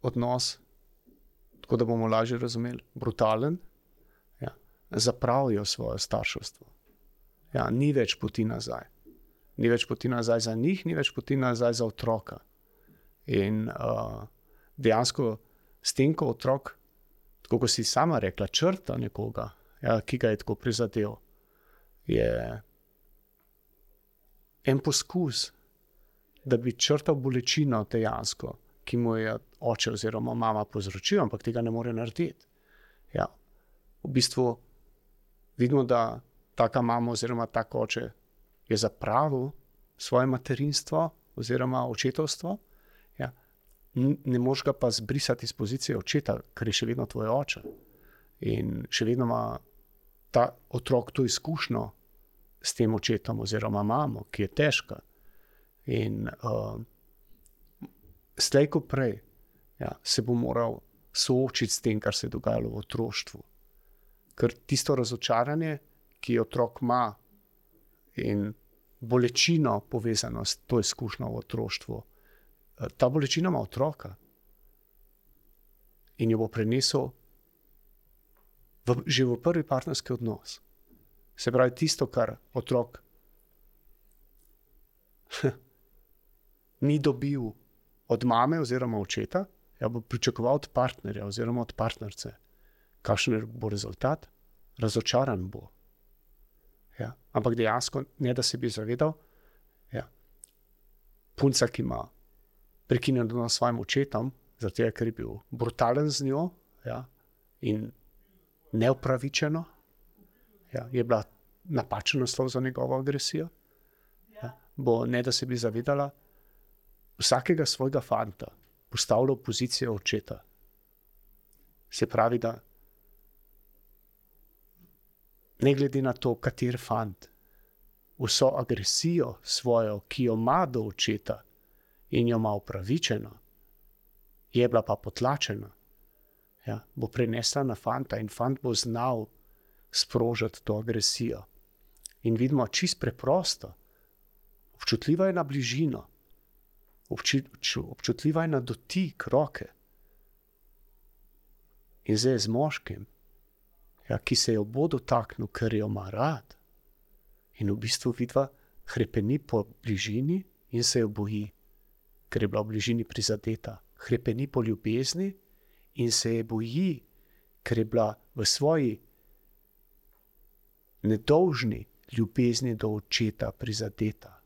odnos, tako da bomo lažje razumeli, brutalen, ja, zapravijo svoje starševstvo. Ja, ni več poti nazaj. Ni več poti nazaj za njih, ni več poti nazaj za otroka. In dejansko s tem, ko otrok, tako kot si sama rekla, črta nekoga, ja, ki ga je tako prizadel, je en poskus, da bi črtal bolečino dejansko, ki mu je oče oziroma mama povzročil, ampak tega ne more narediti. Ja, v bistvu vidimo, da taka mama oziroma tak oče je zapravil svoje materinstvo oziroma očetovstvo. Ja. Ne moreš ga pa zbrisati iz pozicije očeta, ker je še vedno tvoj oče. In še vedno ima ta otrok to izkušnjo s tem očetom oziroma mamo, ki je težka. In slej ko prej, ja, se bo moral soočiti s tem, kar se je dogajalo v otroštvu. Ker tisto razočaranje, ki otrok ima, in bolečino povezano s to izkušnjo v otroštvu, ta bolečina ima otroka in jo bo prenesel že v prvi partnerski odnos. Se pravi, tisto, kar otrok ni dobil od mame oziroma očeta, ja, bo pričakoval od partnerja oziroma od partnerce. Kakšen bo rezultat? Razočaran bo. Ja. Ampak dejansko, ne da se bi zavedal, ja, punca, ki ima prekinjen odnos s svojim očetom, zato ker je bil brutalen z njo, ja, in neupravičeno, ja, je bila napačen naslov za njegovo agresijo, ja, bo, ne da se bi zavedala, vsakega svojega fanta postavlja v pozicijo očeta. Se pravi, da ne glede na to, kater fant, vso agresijo svojo, ki jo ima do očeta in jo ima upravičeno, je bila pa potlačena, ja, bo prenesla na fanta in fant bo znal sprožiti to agresijo. In vidimo čist preprosto, občutljiva je na bližino, občutljiva je na dotik roke. In zdaj z moškim, ja, ki se jo bo dotaknil, ker jo ima rad, in v bistvu vidva hrepeni po bližini in se jo boji, ker je bila v bližini prizadeta. Hrepeni po ljubezni in se je boji, ker je bila v svoji nedolžni ljubezni do očeta prizadeta.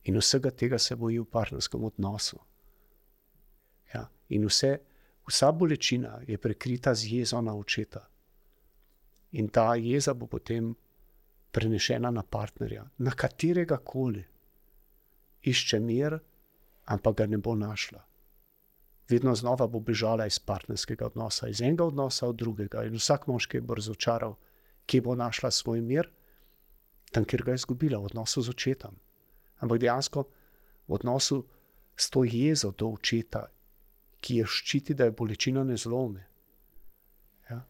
In vsega tega se boji v partnerskem odnosu. Ja, in vsa bolečina je prekrita z jezo na očeta. In ta jeza bo potem prenešena na partnerja, na katerega koli. Išče mir, ampak ga ne bo našla. Vedno znova bo bežala iz partnerskega odnosa, iz enega odnosa od drugega. In vsak moški bo razočaral, kje bo našla svoj mir, tam, kjer ga je izgubila, v odnosu z očetom. Ampak dejansko v odnosu s to jezo do očeta, ki je ščiti, da je bolečina ne zlomi. Ja.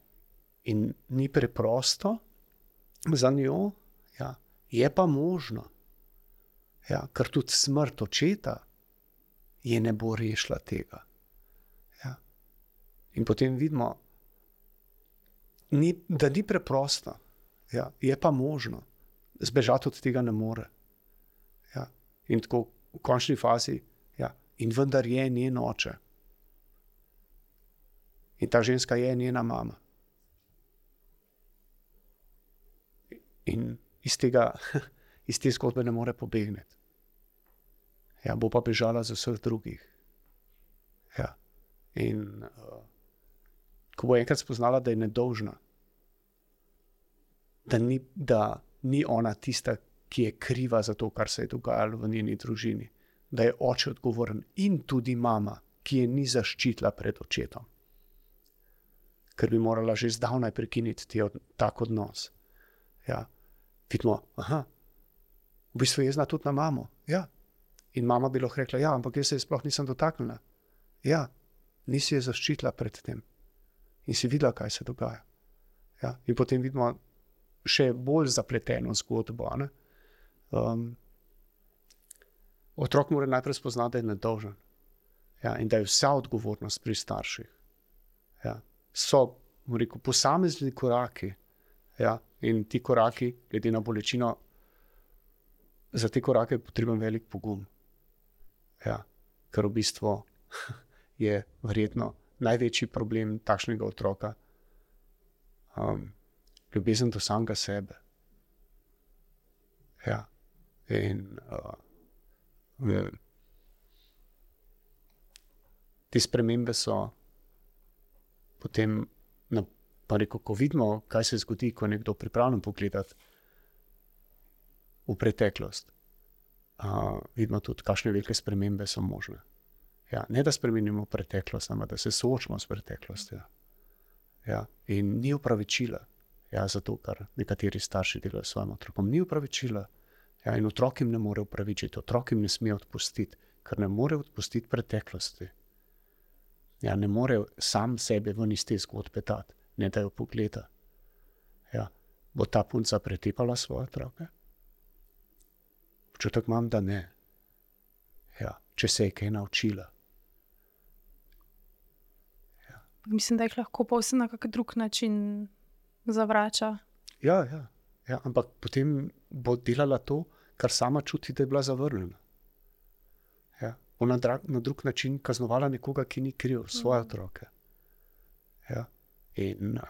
In ni preprosto za njo, ja, je pa možno. Ja, ker tudi smrt očeta je ne bo rešila tega. Ja. In potem vidimo, da ni preprosto, ja, je pa možno. Zbežati od tega ne more. Ja. In tako v končni fazi In vendar je njen oče. In ta ženska je njena mama. In iz te zgodbe ne more pobegniti. Ja, bo pa bežala za vseh drugih. Ja. In ko bo enkrat spoznala, da je nedolžna, da ni ona tista, ki je kriva za to, kar se je dogajalo v njeni družini, da je oče odgovoren in tudi mama, ki je ni zaščitila pred očetom. Ker bi morala že zdavnaj prekiniti tak odnos. Ja. Vidimo, v bistvu je jezna tudi na mamo. Ja. In mama bi lahko rekla, ja, ampak jaz se sploh nisem dotaknila. Ja, nisi je zaščitila pred tem. In si videla, kaj se dogaja. Ja. In potem vidimo še bolj zapleteno zgodbo. Otrok mora najprej spoznati, da je nedolžen. Ja. In da je vsa odgovornost pri starših. Ja. So, rekel, posamezni koraki. Ja. In ti koraki, glede na bolečino, za te korake je potreben velik pogum. Ja. Ker v bistvu je verjetno največji problem takšnega otroka ljubezen do samega sebe. Ja. In te spremembe so potem, pa rekel, ko vidimo, kaj se zgodi, ko je nekdo pripravljen pogledati v preteklost, vidimo tudi, kakšne velike spremembe so možne. Ja, ne da spremenimo preteklost, ampak da se soočimo s preteklostjo. Ja, in ni opravičila, ja, zato, kar nekateri starši delajo s svojim otrokom. Ni opravičila. Ja, in otrok jim ne more opravičiti, otrok jim ne sme odpustiti, ker ne more odpustiti preteklosti. Ja, ne more sam sebe ven iz te zgodbe dati, ne da jo pogleda. Ja, bo ta punca pretepala svoje otroke? Občutek imam, da ne. Ja, če se je kaj naučila. Ja. Mislim, da jih lahko povsem na kak drug način zavrača. Ja, ampak potem bo delala to, kar sama čuti, da je bila zavrnjena. Ja. Bo na drug način kaznovala nekoga, ki ni kriv, svoje otroke. Ja. In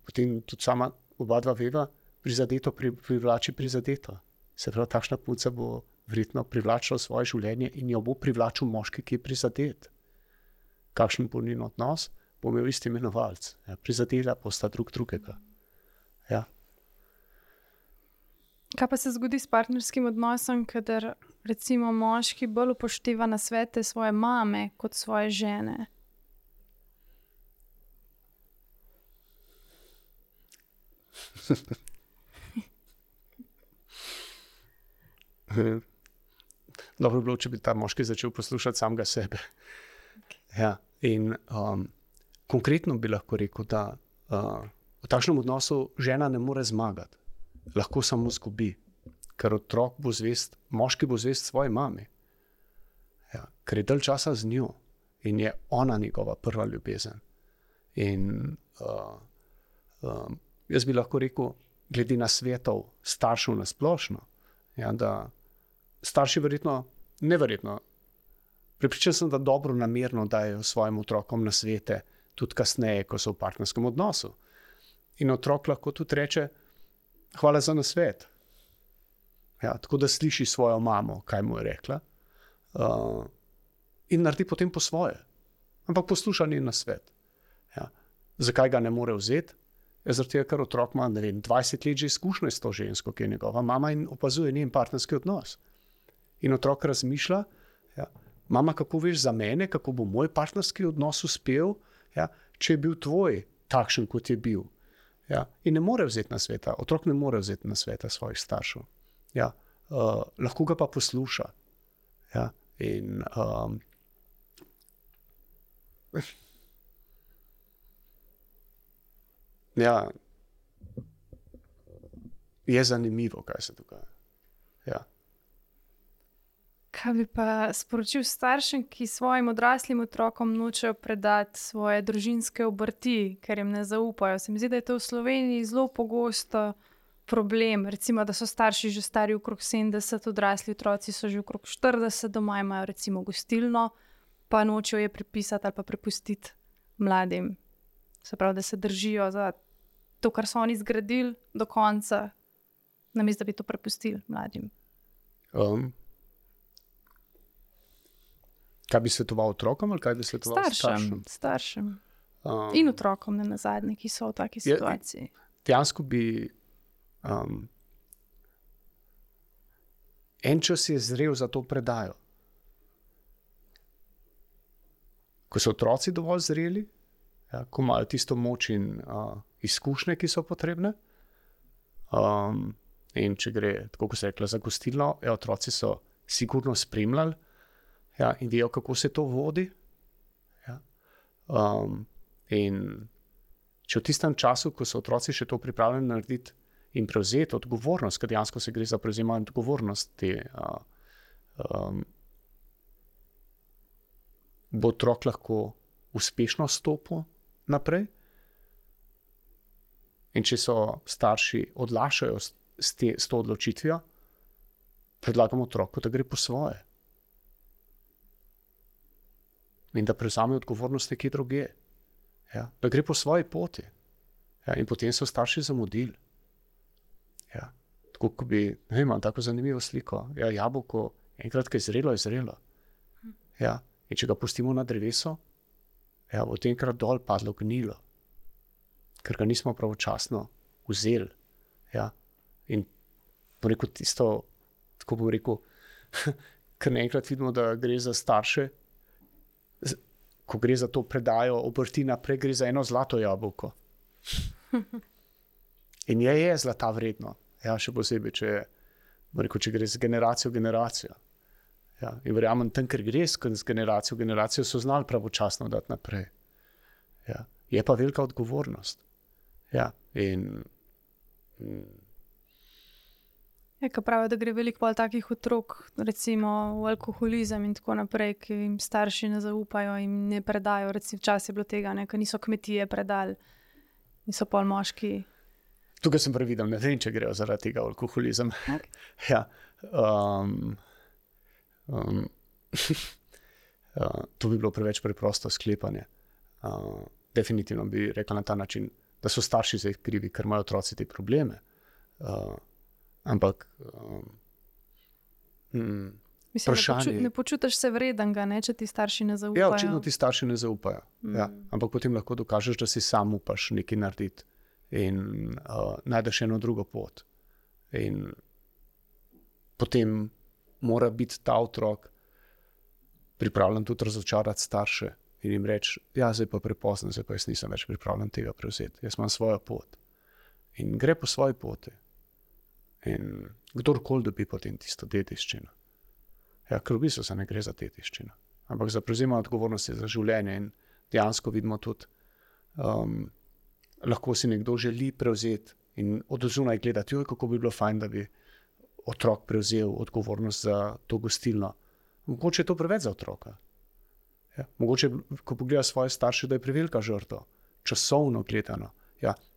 potem tudi sama oba dva veva, prizadeto privlači prizadeto. Se pravi, takšna punca bo verjetno privlačila svoje življenje in jo bo privlačil moški, ki je prizadet. Kakšen bo njen odnos, bo imel isti imenovalec. Ja, prizadela bosta drug drugega. Ja. Kaj pa se zgodi s partnerskim odnosom, kadar recimo moški bolj upošteva nasvete svoje mame kot svoje žene? Dobro bi bilo, če bi ta moški začel poslušati samega sebe. Okay. Ja, in konkretno bi lahko rekel, da v takšnem odnosu žena ne more zmagati. Lahko samo izgubi, ker otrok bo zvest, moški bo zvest svoji mami. Ja, ker je dalj časa z njo in je ona njegova prva ljubezen. In jaz bi lahko rekel, glede na svetov staršev nasplošno, ja, da starši neverjetno, prepričan sem, da dobro namerno dajo svojim otrokom nasvete, tudi kasneje, ko so v partnerskem odnosu. In otrok lahko tudi reče, hvala za nasvet. Ja, tako da sliši svojo mamo, kaj mu je rekla, in naredi potem po svoje. Ampak posluša njen nasvet. Ja. Zakaj ga ne more vzeti? Zaradi tega, ker otrok ima 20 let že izkušnje s to žensko, ki je njegova mama, in opazuje njen partnerski odnos. In otrok razmišlja, ja, mama, kako veš za mene, kako bo moj partnerski odnos uspel, ja, če je bil tvoj takšen, kot je bil. Ja. In ne more vzeti nasveta, otrok ne more vzeti nasveta svojih staršev. Ja. Lahko ga pa posluša. Ja. In ja, je zanimivo, kaj se dogaja. Ja. Kaj bi pa sporočil staršem, ki svojim odraslim otrokom nočejo predati svoje družinske obrti, ker jim ne zaupajo? Se mi zdi, da je to v Sloveniji zelo pogosto, problem, recimo, da so starši že stari okrog 70, odrasli otroci so že okrog 40, doma imajo recimo gostilno, pa nočejo je prepisati ali pa prepustiti mladim. Se pravi, da se držijo za to, kar so oni zgradili do konca, namesto da bi to prepustili mladim. Kaj bi svetoval otrokom ali kaj bi svetoval staršem? Staršem. In otrokom, ne nazadnje, ki so v taki situaciji. Dejansko bi en čas je zrel za to predajo. Ko so otroci dovolj zreli, ko imajo tisto moč in izkušnje, ki so potrebne, in če gre, tako kot se je rekla, za gostilno, otroci so sigurno spremljali, in vejo, kako se to vodi. In če v tistem času, ko so otroci še to pripravljeni narediti in prevzeti odgovornost, ker dejansko se gre za prevzemanje odgovornosti, bo otrok lahko uspešno stopil naprej. In če so starši odlašajo s to odločitvijo, predlagamo otroku, da gre po svoje. In da prevzame odgovornost nekje drugje. Da gre po svoji poti. In potem so starši zamudili. Tako kot bi, ne vem, tako zanimivo sliko. Jabolko, enkrat, ko je zrelo, je zrelo. In če ga pustimo na drevesu, bo tenkrat dol padlo gnilo. Ker ga nismo pravočasno vzeli. In bom rekel tisto, tako bom rekel, ker naenkrat vidimo, da gre za starše, ko gre za to predajo obrti naprej, gre za eno zlato jabolko. In je zlata vredno. Še posebej, če gre z generacijo v generacijo. In verjamem, tam, ker gre z generacijo v generacijo, so znali pravočasno dati naprej. Je pa velika odgovornost. Ko pravijo, da gre veliko takih otrok, recimo v alkoholizem in tako naprej, ki jim starši ne zaupajo in ne predajo. Recimo včasih je bilo tega, ker niso kmetije predali in so pol moški. Tukaj sem previdel, ne vem, če grejo zaradi tega alkoholizem. Okay. To bi bilo preveč preprosto sklepanje. Definitivno bi rekla na ta način, da so starši zdaj krivi, ker imajo otroci te probleme. Ampak mislim, ne počutiš se vredenega, če ti starši ne zaupajo. Očitno ti starši ne zaupajo. Ampak potem lahko dokažeš, da si sam upaš nekaj narediti in najdeš eno drugo pot. In potem mora biti ta otrok pripravljen tudi razočarati starše in jim reči, zdaj pa prepozno, zdaj pa jaz nisem več pripravljen tega prevzeti. Jaz imam svojo pot. In gre po svoji poti. In kdorkoli dobi potem tisto dediščino. Ker v bistvu se ne gre za dediščino, ampak za prevzemanje odgovornosti za življenje. In dejansko vidimo tudi, lahko si nekdo želi prevzeti in od zunaj gledati, kako bi bilo fajn, da bi otrok prevzel odgovornost za to gostilno. Mogoče je to preveč za otroka. Mogoče, ko pogleda svoje starše, da je prevelika žrtev, časovno gledano.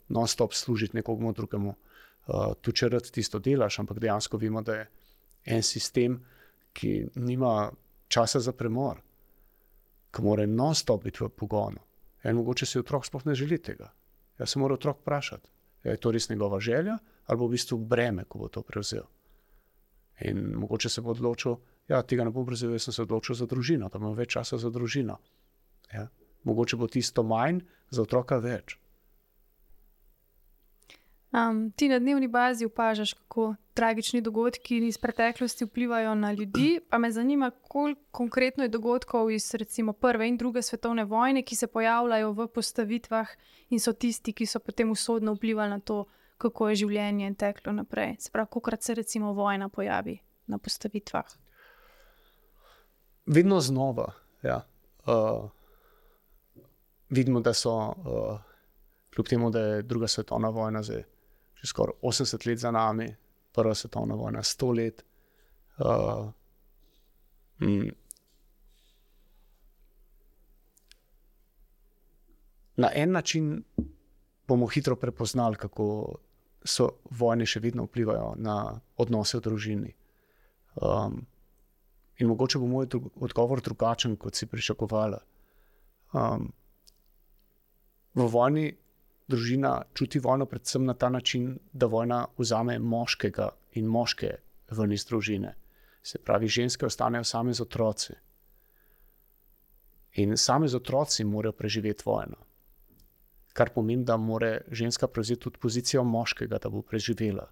Non-stop služiti nekomu drugemu. Tu če rad tisto delaš, ampak dejansko vemo, da je en sistem, ki nima časa za premor, ki mora non-stop biti v pogonu. In mogoče si otrok sploh ne želi tega. Se mora otrok vprašati, je to res njegova želja ali bo v bistvu breme, ko bo to prevzel. In mogoče se bo odločil, tega ne bom prevzel, jaz sem se odločil za družino, da imam več časa za družino. Mogoče bo tisto manj, za otroka več. Ti na dnevni bazi opažaš, kako tragični dogodki iz preteklosti vplivajo na ljudi, pa me zanima, koliko konkretno je dogodkov iz recimo prve in druge svetovne vojne, ki se pojavljajo v postavitvah in so tisti, ki so potem usodno vplivali na to, kako je življenje teklo naprej. Se pravi, kolikokrat se recimo vojna pojavi na postavitvah? Vedno znova, vidimo, da so, kljub temu, da je druga svetovna vojna zdaj že skoraj 80 let za nami, prva svetovna vojna 100 let. Na en način bomo hitro prepoznali, kako so vojne še vedno vplivajo na odnose v družini. In mogoče bo moj odgovor drugačen, kot si pričakovala. V vojni družina čuti vojno predvsem na ta način, da vojna vzame moškega in moške ven iz družine. Se pravi, ženske ostanejo same z otroci. In same z otroci morajo preživeti vojno. Kar pomeni, da mora ženska prevzeti tudi pozicijo moškega, da bo preživela.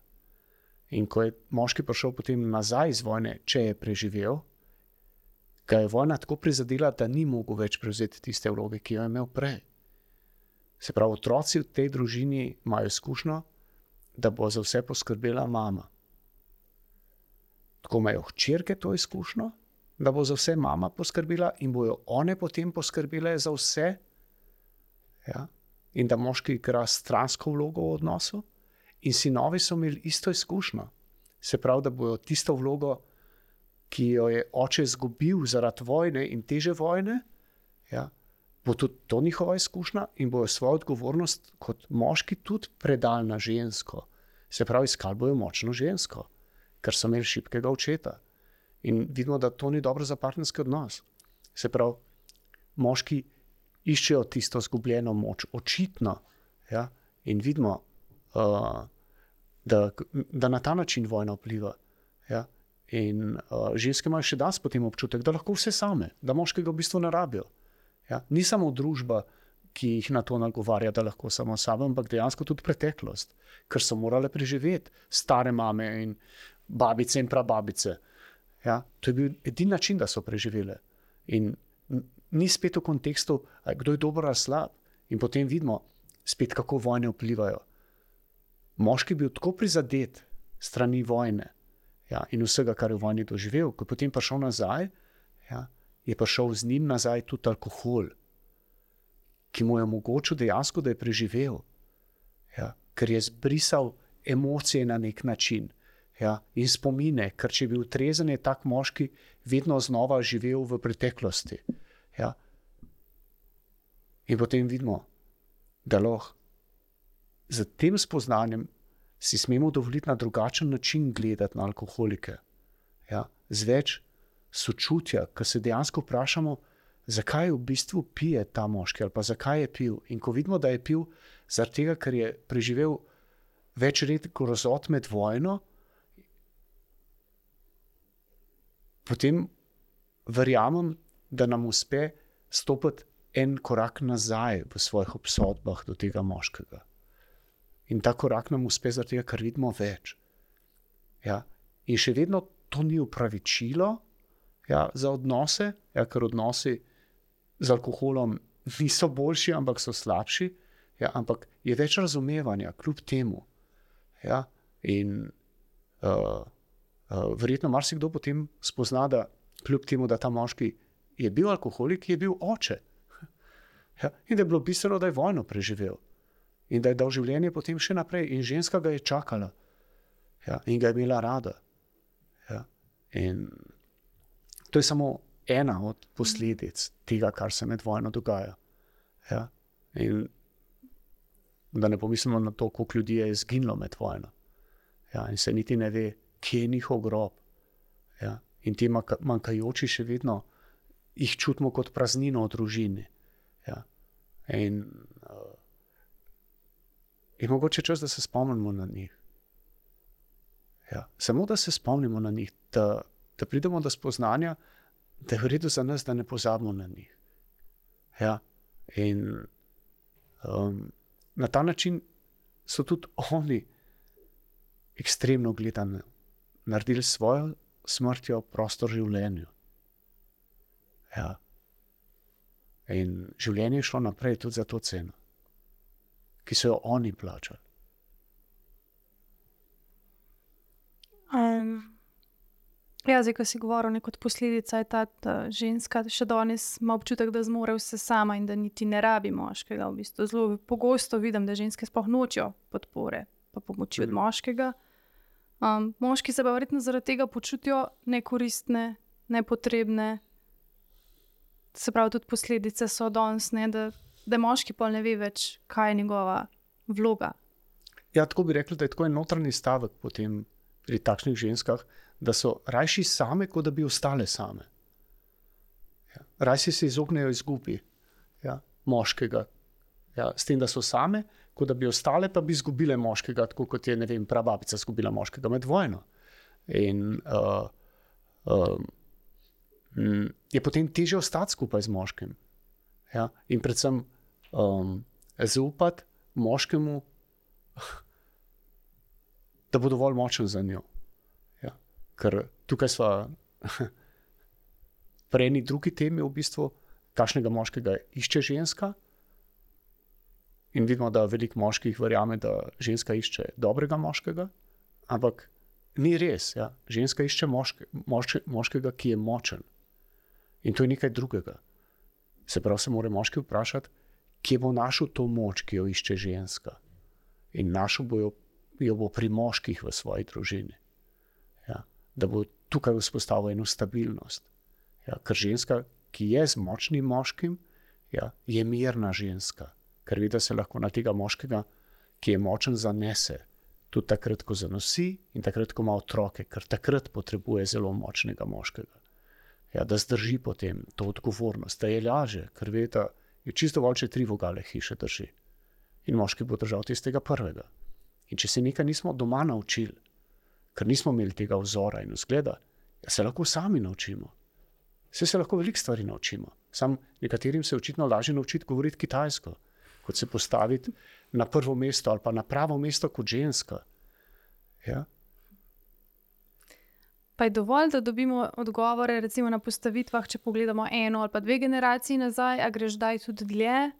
In ko je moški prišel potem nazaj iz vojne, če je preživel, ga je vojna tako prizadela, da ni mogel več prevzeti tiste vloge, ki jo je imel prej. Se pravi, otroci v tej družini imajo izkušnjo, da bo za vse poskrbela mama. Tako imajo hčerke to izkušnjo, da bo za vse mama poskrbela in bojo one potem poskrbele za vse. Ja? In da moški igra stransko vlogo v odnosu. In sinovi so imeli isto izkušnjo. Se pravi, da bojo tisto vlogo, ki jo je oče izgubil zaradi vojne in teže vojne, ja, bo tudi to njihova izkušnja in bojo svojo odgovornost kot moški tudi predali na žensko. Se pravi, iskali bojo močno žensko, ker so imeli šibkega očeta. In vidimo, da to ni dobro za partnerski odnos. Se pravi, moški iščejo tisto izgubljeno moč, očitno. Ja? In vidimo, da na ta način vojna vpliva. Ja? In ženske imajo še danes potem občutek, da lahko vse same, da moškega v bistvu ne rabijo. Ja? Ni samo družba, ki jih na to nagovarja, da lahko samo same, ampak dejansko tudi preteklost, ker so morale preživeti stare mame in babice in prababice. Ja? To je bil edini način, da so preživele. In ni spet v kontekstu, kdo je dober ali slab. In potem vidimo spet, kako vojne vplivajo. Moški je bil tako prizadet strani vojne, ja, in vsega, kar je v vojni doživel, ko je potem prišel nazaj, ja, je prišel z njim nazaj tudi alkohol, ki mu je omogočil dejansko, da je preživel. Ja, ker je zbrisal emocije na nek način. Ja, in spomine, ker če je bil trezen, je tak moški vedno znova živel v preteklosti. Ja. In potem vidimo, da lahko z tem spoznanjem si smemo dovoliti na drugačen način gledati na alkoholike. Ja. Z več sočutja, ker se dejansko vprašamo, zakaj v bistvu pije ta moški ali pa zakaj je pil. In ko vidimo, da je pil zaradi tega, ker je preživel več let grozot med vojno, potem verjamem, da nam uspe stopiti en korak nazaj v svojih obsodbah do tega moškega. In ta korak nam uspe zaradi tega, ker vidimo več. Ja? In še vedno to ni upravičilo, ja, za odnose, ja, ker odnosi z alkoholom niso boljši, ampak so slabši, ja, ampak je več razumevanja kljub temu. Ja? In verjetno marsikdo potem spozna, da kljub temu, da ta moški je bil alkoholik, je bil oče. Ja, in da je bilo bistveno, da je vojno preživel. In da je dal življenje potem še naprej. In ženska ga je čakala. Ja, in ga je imela rada. Ja, in to je samo ena od posledic tega, kar se med vojno dogaja. Ja, in da ne pomislimo na to, koliko ljudi je izginilo med vojno. Ja, in se niti ne ve, kje je njihov grob. Ja, in ti manjkajoči še vedno jih čutimo kot praznino v družini. Ja. In mogoče čas, da se spomnimo na njih. Ja. Samo da se spomnimo na njih, da pridemo do spoznanja, da je v redu za nas, da ne pozabimo na njih. Ja. In na ta način so tudi oni ekstremno gledano naredili svojo smrtjo prostor življenju. Ja. In življenje je šlo naprej tudi za to ceno, ki so jo oni plačali. Ja, zdaj, ko si govoril, kot posledica je ta ženska še danes ima občutek, da zmore vse sama in da niti ne rabi moškega. V bistvu zelo pogosto vidim, da ženske sploh nočejo podpore pa pomoči od moškega. Moški se pa verjetno zaradi tega počutijo nekoristne, nepotrebne. Se pravi, tudi posledice so danes, da moški pol ne ve več, kaj je njegova vloga. Ja, tako bi rekli, da je tako en notranji stavek potem pri takšnih ženskah, da so rajši same, kot da bi ostale same. Ja. Rajši se izognejo izgubi moškega. Ja, s tem, da so same, kot da bi ostale, pa bi izgubile moškega, tako kot je, ne vem, prababica izgubila moškega med vojno. In je potem težje ostati skupaj z moškim. Ja? In predvsem zaupati moškemu, da bo dovolj močen za njo. Ja? Ker tukaj sva pri eni drugi temi v bistvu, kakšnega moškega išče ženska. In vidimo, da veliko moških verjame, da ženska išče dobrega moškega, ampak ni res. Ja? Ženska išče moškega, ki je močen. In to je nekaj drugega. Se pravi, se mora moški vprašati, kje bo našel to moč, ki jo išče ženska. In našel jo bo pri moških v svoji družini. Ja? Da bo tukaj vzpostavil eno stabilnost. Ja? Ker ženska, ki je z močnim moškim, je mirna ženska. Ker ve, da se lahko na tega moškega, ki je močen, zanese. Tudi takrat, ko zanosi in takrat, ko ima otroke, ker takrat potrebuje zelo močnega moškega. Ja, da zdrži potem to odgovornost, da je laže, ker ve, da je čisto dovolj, če 3 vogale hiše drži. In moški bo držal tistega prvega. In če se nekaj nismo doma naučili, ker nismo imeli tega vzora in vzgleda, se lahko sami naučimo. Se lahko veliko stvari naučimo. Sam nekaterim se očitno lažje naučiti govoriti kitajsko, kot se postaviti na prvo mesto ali pa na pravo mesto kot ženska. Ja? Pa je dovolj, da dobimo odgovore recimo na postavitvah, če pogledamo 1 ali pa 2 generaciji nazaj, a greš kdaj tudi dlje?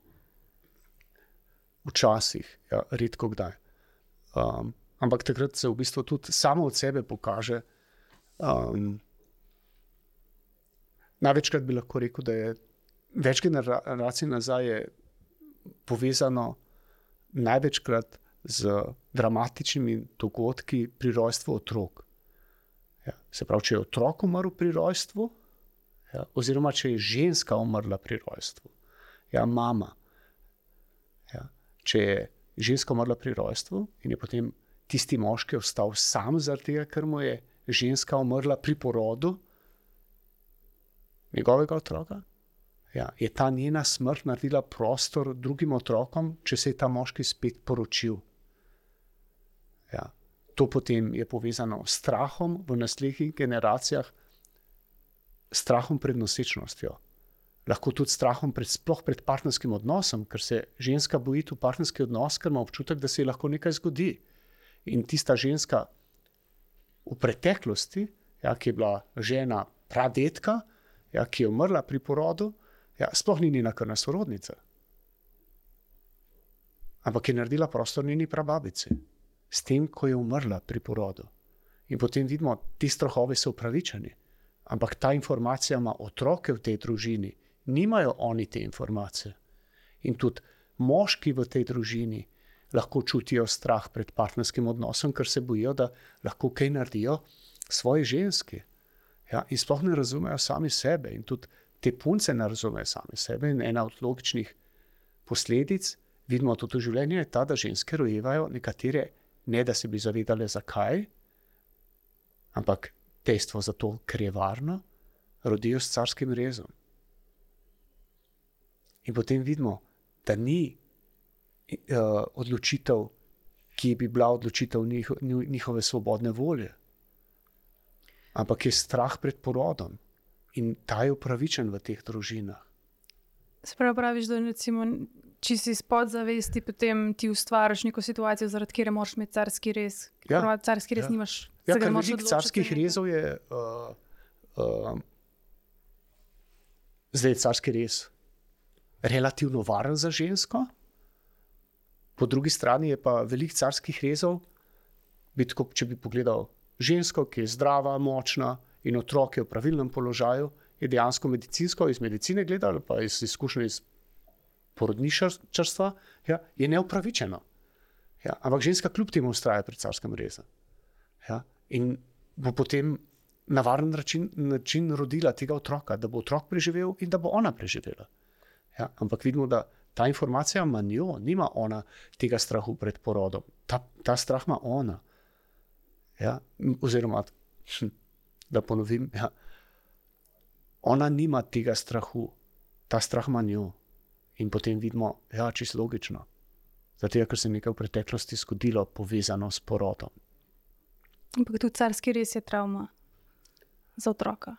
Včasih, ja, redko kdaj. Ampak takrat se v bistvu tudi samo od sebe pokaže. Največkrat bi lahko rekel, da je več generacij nazaj je povezano največkrat z dramatičnimi dogodki pri rojstvu otrok. Ja, se pravi, če je otrok umrl pri rojstvu, oziroma če je ženska umrla pri rojstvu, mama. Ja, če je ženska umrla pri rojstvu in je potem tisti moški ostal sam zaradi tega, ker mu je ženska umrla pri porodu njegovega otroka, je ta njena smrt naredila prostor drugim otrokom, če se je ta moški spet poročil. Ja. To potem je povezano s strahom v naslednjih generacijah, strahom pred nosečnostjo. Lahko tudi strahom sploh pred partnerskim odnosom, ker se ženska boji v partnerski odnos, ker ima občutek, da se ji lahko nekaj zgodi. In tista ženska v preteklosti, ki je bila žena pradetka, ki je umrla pri porodu, sploh ni njena krvna sorodnica. Ampak je naredila prostor njeni prababici. S tem, ko je umrla pri porodu. In potem vidimo, ti strahovi so upravičeni. Ampak ta informacija ima otroke v tej družini. Nimajo oni te informacije. In tudi moški v tej družini lahko čutijo strah pred partnerskim odnosom, ker se bojijo, da lahko kaj naredijo svoji ženski. In sploh ne razumejo sami sebe. In tudi te punce ne razumejo sami sebe. In ena od logičnih posledic, vidimo tudi v življenju, je ta, da ženske rojevajo nekatere, ne da se bi zavedale zakaj, ampak dejstvo zato, ker je varno, rodijo s carskim rezom. In potem vidimo, da ni odločitev, ki bi bila odločitev njihove svobodne volje, ampak je strah pred porodom in ta je upravičen v teh družinah. Se praviš, da recimo, če si iz podzavesti, potem ti ustvariš neko situacijo, zaradi katere moraš imeti carski rez. Carski rez nimaš. Ker veliko carskih rezov je zdaj je carski rez relativno varen za žensko, po drugi strani je pa veliko carskih rezov, če bi pogledal žensko, ki je zdrava, močna in otrok je v pravilnem položaju, je dejansko medicinsko, iz medicine gledal, pa iz izkušnje iz porodnišarstva, je neupravičeno. Ampak ženska kljub temu vztraja pri carskem rezu. In bo potem na varen način rodila tega otroka, da bo otrok preživel in da bo ona preživela. Ampak vidimo, da ta informacija ima njo, nima ona tega strahu pred porodom. Ta strah ima ona. Ja? Oziroma, da ponovim, ja. Ona nima tega strahu, ta strah ima njo. In potem vidimo, ja, čisto logično. Zato, ker se je nekaj v preteklosti zgodilo, povezano s porodom. Ampak tudi carski rez je travma za otroka.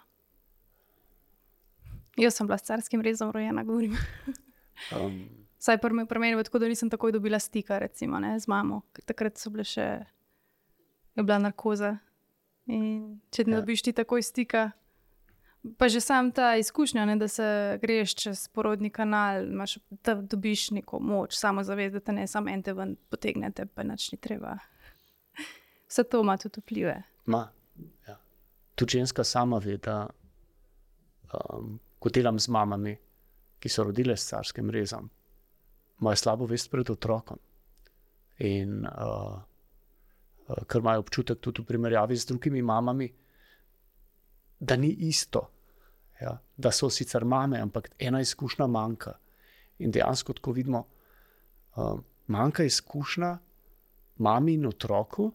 Jaz sem bila s carskim rezom rojena, govorim. Saj pri meni tako, da nisem takoj dobila stika, recimo, ne, z mamo. Takrat so bile še, je bila narkoza. In če ne dobiš ti takoj stika, pa že sam ta izkušnja, ne, da se greš čez porodni kanal, da dobiš neko moč, samozavest, da te ne samo en te ven potegnete, pa nič ni treba. Vse to ima tudi vplive. Ja. Tudi ženska sama ve, da ko delam z mamami, ki so rodile s carskim rezom, imajo slabo vest pred otrokom. In ker imajo občutek tudi v primerjavi z drugimi mamami, da ni isto. Ja? Da so sicer mame, ampak ena izkušnja manjka. In dejansko, tako vidimo, manjka izkušnja mami in otroku,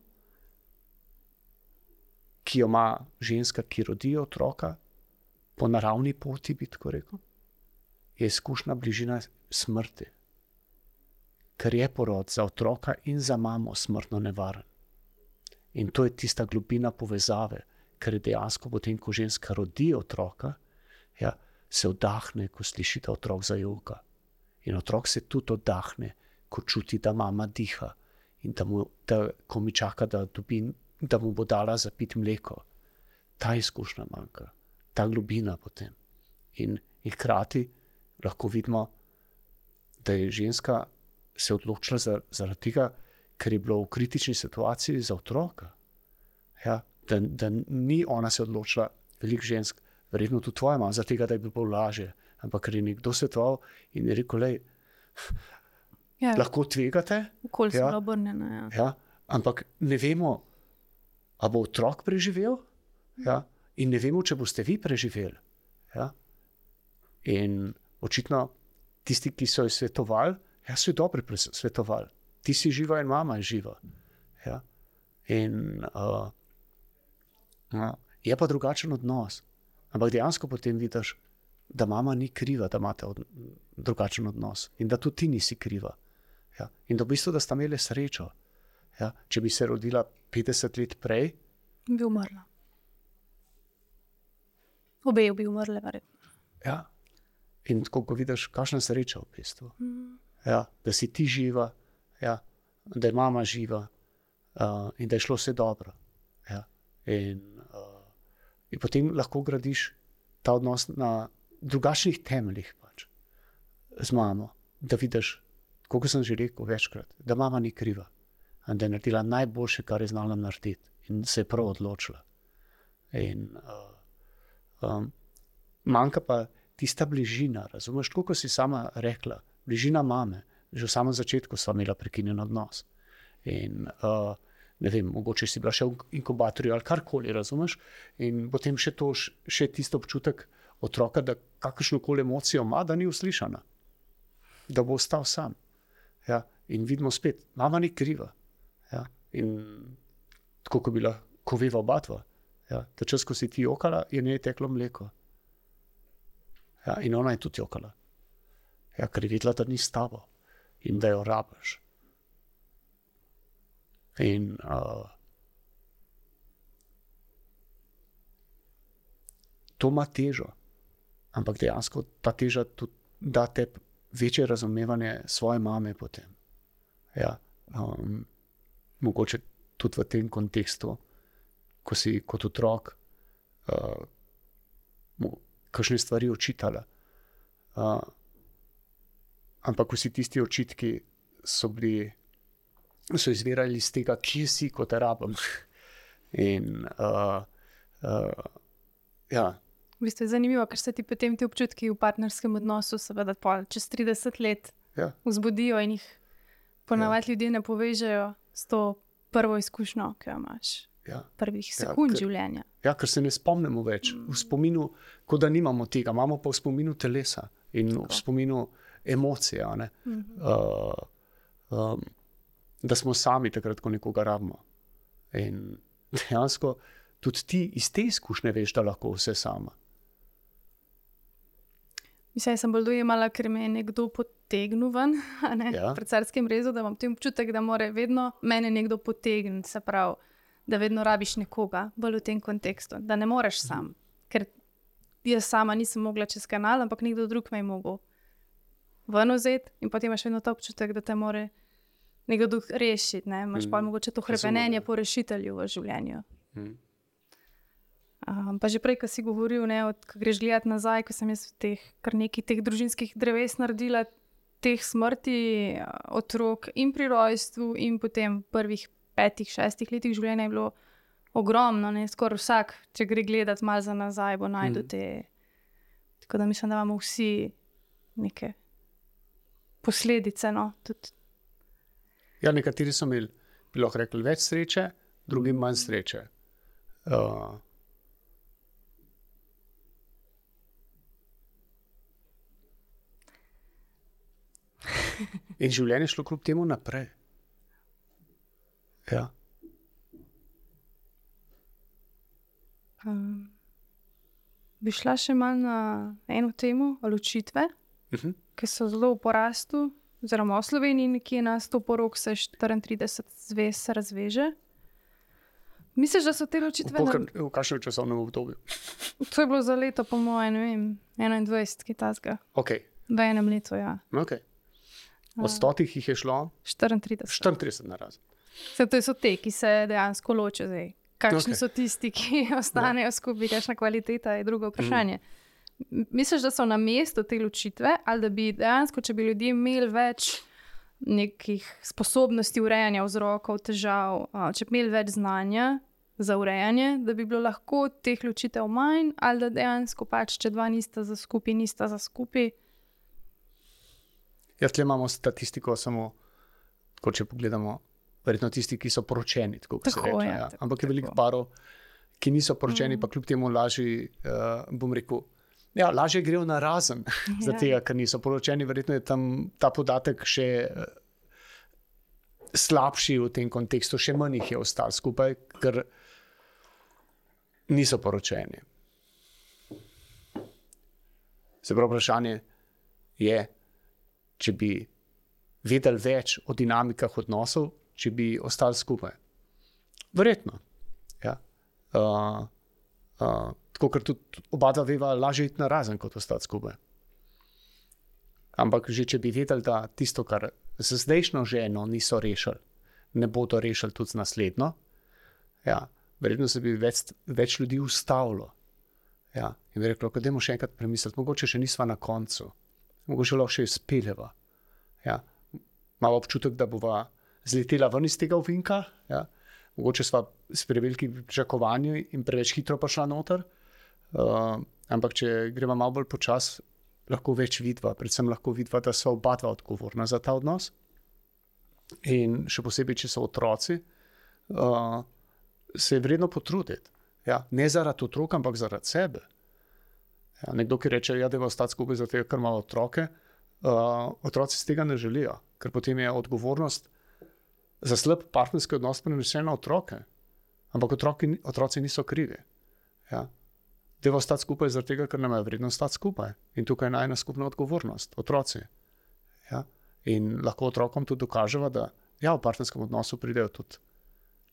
ki jo ima ženska, ki rodi otroka, po naravni poti, bi tako rekel, je izkušnja bližina smrti. Ker je porod za otroka in za mamo smrtno nevaren. In to je tista globina povezave, ker je dejansko potem, ko ženska rodi otroka, ja, se vdahne, ko sliši, da otrok zajoka. In otrok se tudi vdahne, ko čuti, da mama diha in da ko mi čaka, da mu bo dala zapiti mleko. Ta izkušnja manjka, ta globina potem. In hkrati lahko vidimo, da je ženska se odločila zaradi tega, ker je bilo v kritični situaciji za otroka. Ja, da ni ona se odločila, veliko žensk, verjetno tudi tvoja mama, za tega, da je bilo lažje, ampak ker je nekdo svetoval in je rekel, lej, lahko tvegate. Okolj smo obrnjena. Ja, ampak ne vemo, a bo otrok preživel, ja, in ne vemo, če boste vi preživeli. Ja. In očitno tisti, ki so jo svetovali, so jo dobro svetovali. Ti si živa in mama je živa. Ja. In je pa drugačen odnos. Ampak dejansko potem vidiš, da mama ni kriva, da imate drugačen odnos. In da tudi ti nisi kriva. Ja. In da v bistvu, da sta imeli srečo. Ja. Če bi se rodila 50 let prej, bi umrla. Obe bi umrle, verjetno. Ja. In tako, ko vidiš, kakšna sreča v bistvu. Ja. Da si ti živa, ja. Da je mama živa in da je šlo vse dobro. Ja. In potem lahko gradiš ta odnos na drugačnih temeljih pač, z mamo. Da vidiš, kot sem že rekel večkrat, da mama ni kriva. In da je naredila najboljše, kar je znala narediti. In se je prav odločila. In manjka pa tista bližina, razumeš, tako kot si sama rekla, bližina mame. Že v samem začetku sva imela prekinjen odnos. In ne vem, mogoče si bila še v inkubatorju ali karkoli, razumeš? In potem še tisto občutek otroka, da kakršnokoli emocijo ima, da ni uslišana. Da bo ostal sam. Ja? In vidimo spet, mama ni kriva. Ja? In tako, ko veva oba dva. Ja? Ta čas, ko si ti jokala, je njej teklo mleko. Ja? In ona je tudi jokala. Ja, ker je videla, da ni s tabo. In da jo rabiš. In to ima težo. Ampak dejansko ta teža tudi da te večje razumevanje svoje mame potem. Ja, mogoče tudi v tem kontekstu, ko si kot otrok kakšne stvari očitala. Ampak ko si tisti očitki so izvirali iz tega, kje si, ko te rabim. In ja. V bistvu je zanimivo, ker se ti potem ti občutki v partnerskem odnosu seveda čez 30 let vzbudijo in jih ponavadi ljudje ne povežejo s to prvo izkušnjo, ki jo imaš. Prvih sekund življenja. Ja, ker se ne spomnimo več. V spominu, kot da nimamo tega, imamo pa v spominu telesa in v spominu emocije, a ne. Da smo sami takrat, ko nekoga rabimo. In dejansko tudi ti iz te izkušnje veš, da lahko vse sama. Mislim, sem bolj dojemala, ker me je nekdo potegnil ven, pred carskim rezom, da imam tem občutek, da mora vedno mene nekdo potegniti, se pravi, da vedno rabiš nekoga, bolj v tem kontekstu, da ne moreš sam, ker jaz sama nisem mogla čez kanal, ampak nekdo drug me je mogel ven vzeti in potem imaš vedno ta občutek, da te more nekdo drug rešiti, ne? Imaš pa mogoče to hrepenenje po rešitelju v življenju. Pa že prej, ko si govoril, ko greš gledati nazaj, ko sem jaz kar nekaj teh družinskih dreves naredila, teh smrti otrok in pri rojstvu in potem prvih 5-6 letih življenja je bilo ogromno, skoraj vsak, če gre gledati malo za nazaj, bo najdu te. Tako da mislim, da imamo vsi neke posledice, tudi. Ja, nekateri so imeli, bi lahko rekli, več sreče, drugi manj sreče. In življenje šlo kljub temu naprej. Ja. Bi šla še malo na eno temo, ločitve, ki so zelo v porastu, oziroma v Sloveniji nekje na 100 porok se 34 zvez razveže. Misliš, da so te ločitve... V kakšnem časovnem obdobju? To je bilo za leto, po moje, 21, kaj tazga. Ok. V enem letu, ja. Ok. Od 100 jih je šlo? 34. 34 na razen. To so te, ki se dejansko ločijo zdaj. Kakšni so tisti, ki ostanejo skupaj, kakšna kvaliteta je drugo vprašanje. Misliš, da so na mestu te ločitve, ali da bi dejansko, če bi ljudje imeli več nekih sposobnosti urejanja vzrokov, težav, če bi imeli več znanja za urejanje, da bi bilo lahko teh ločitev manj, ali da dejansko če dva nista za skupaj. Ja, tle imamo statistiko samo, tako če pogledamo, verjetno tisti, ki so poročeni, tako se reče. Ja. Ampak je veliko parov, ki niso poročeni, pa kljub temu lažje, bom rekel, lažje grejo na razen, zato ker niso poročeni, verjetno je tam ta podatek še slabši v tem kontekstu, še manj jih je ostalo skupaj, ker niso poročeni. Se pravi, vprašanje je, če bi vedeli več o dinamikah odnosov, če bi ostali skupaj. Verjetno. Ja. Tako, ker tudi oba dva veva, lažje iti na razen, kot ostati skupaj. Ampak že če bi vedeli, da tisto, kar z zdajšnjo ženo niso rešili, ne bodo rešili tudi z naslednjo, verjetno se bi več ljudi ustavilo. Ja. In bi reklo, da dajmo še enkrat premisliti, mogoče še nisva na koncu. Mogoče lahko še izpeljeva. Ja. Malo občutek, da bova zletela ven iz tega ovinka. Ja. Mogoče sva s prevelikimi pričakovanji in preveč hitro prišla noter. Ampak če greva malo bolj počas, lahko več vidva. Predvsem lahko vidva, da so oba dva odgovorna za ta odnos. In še posebej, če so otroci, se je vredno potruditi. Ja. Ne zaradi otrok, ampak zaradi sebe. Ja, nekdo, ki reče, da je ostati skupaj zato, ker ima otroke, otroci z tega ne želijo, ker potem je odgovornost za slab partnerski odnos prenesena na otroke. Ampak otroci niso krivi. Ja. Da je ostati skupaj zato, ker nam je vredno ostati skupaj. In tukaj je najna skupna odgovornost, otroci. Ja. In lahko otrokom tudi dokažemo, da v partnerskem odnosu pridejo tudi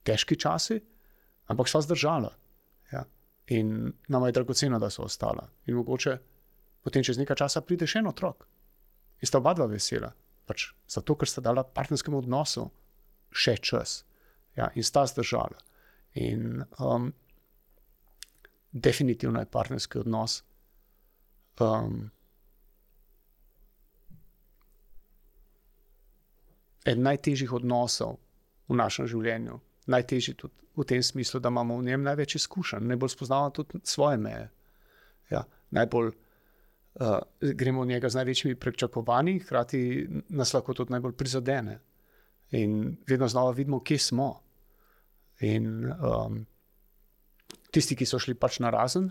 težki časi, ampak sva zdržala. Ja. In nama je dragoceno, da so ostala. In mogoče potem čez nekaj časa pride še en otrok. In sta oba dva vesela. Zato, ker sta dala partnerskemu odnosu še čas. Ja, in sta zdržala. In definitivno je partnerski odnos eden najtežjih odnosov v našem življenju. Najtežji tudi v tem smislu, da imamo v njem največ izkušenj, najbolj spoznavamo tudi svoje meje. Ja, najbolj gremo v njega z največjimi pričakovanji, hkrati nas lahko tudi najbolj prizadene. In vedno znova vidimo, kje smo. In tisti, ki so šli na razen,